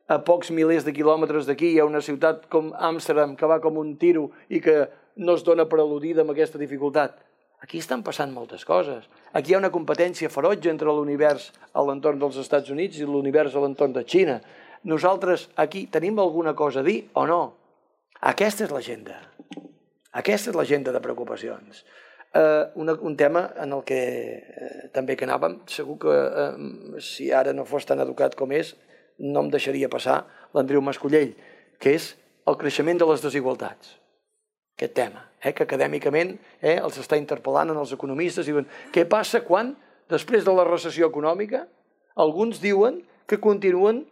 a pocs milers de quilòmetres d'aquí hi ha una ciutat com Amsterdam que va com un tiro i que no es dona per al·ludida amb aquesta dificultat. Aquí estan passant moltes coses. Aquí hi ha una competència ferotge entre l'univers a l'entorn dels Estats Units i l'univers a l'entorn de Xina. Nosaltres aquí tenim alguna cosa a dir o no? Aquesta és l'agenda. Aquesta és l'agenda de preocupacions. Un tema en el que també que anàvem, segur que si ara no fos tan educat com és, no em deixaria passar l'Andreu Mascollell, que és el creixement de les desigualtats. Aquest tema, que acadèmicament els està interpel·lant en els economistes i diuen què passa quan, després de la recessió econòmica, alguns diuen que continuen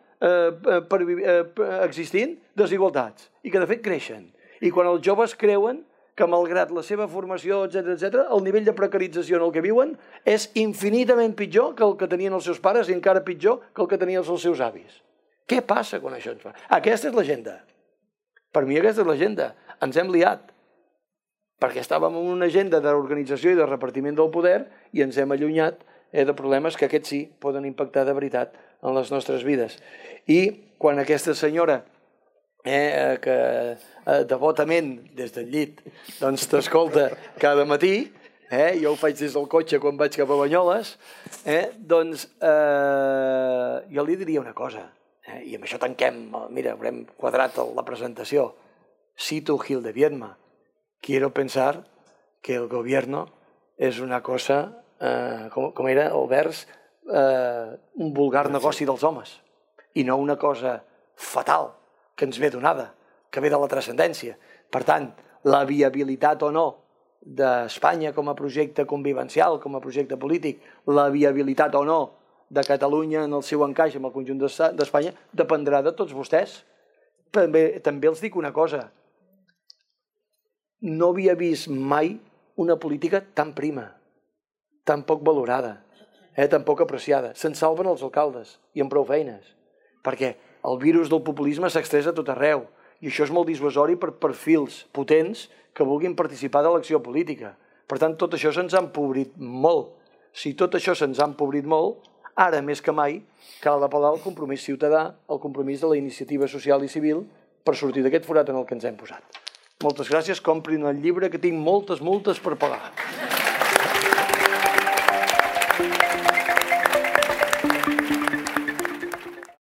existint desigualtats i que de fet creixen. I quan els joves creuen que malgrat la seva formació, etc., el nivell de precarització en el que viuen és infinitament pitjor que el que tenien els seus pares i encara pitjor que el que tenien els seus avis. Què passa quan això ens fa? Aquesta és l'agenda. Per mi aquesta és l'agenda. Ens hem liat. Perquè estàvem en una agenda d'organització i de repartiment del poder i ens hem allunyat de problemes que aquests sí poden impactar de veritat en les nostres vides. I quan aquesta senyora que devotament des del llit t'escolta cada matí, jo ho faig des del cotxe quan vaig cap a Banyoles, doncs jo li diria una cosa, i amb això tanquem, mira, haurem quadrat la presentació. Cito Gil de Viedma: quiero pensar que el gobierno es una cosa com era el vers, un vulgar negoci dels homes i no una cosa fatal que ens ve donada, que ve de la transcendència. Per tant, la viabilitat o no d'Espanya com a projecte convivencial, com a projecte polític, la viabilitat o no de Catalunya en el seu encaix amb el conjunt d'Espanya, dependrà de tots vostès. També els dic una cosa. No havia vist mai una política tan prima, tan poc valorada, tan poc apreciada. Se'n salven els alcaldes i amb prou feines, perquè el virus del populisme s'extresa a tot arreu i això és molt dissuasori per perfils potents que vulguin participar de l'acció política. Per tant, tot això se'ns ha empobrit molt. Si tot això se'ns ha empobrit molt, ara més que mai cal apel·lar al compromís ciutadà, al compromís de la iniciativa social i civil per sortir d'aquest forat en el que ens hem posat. Moltes gràcies, comprin el llibre que tinc moltes multes per pagar.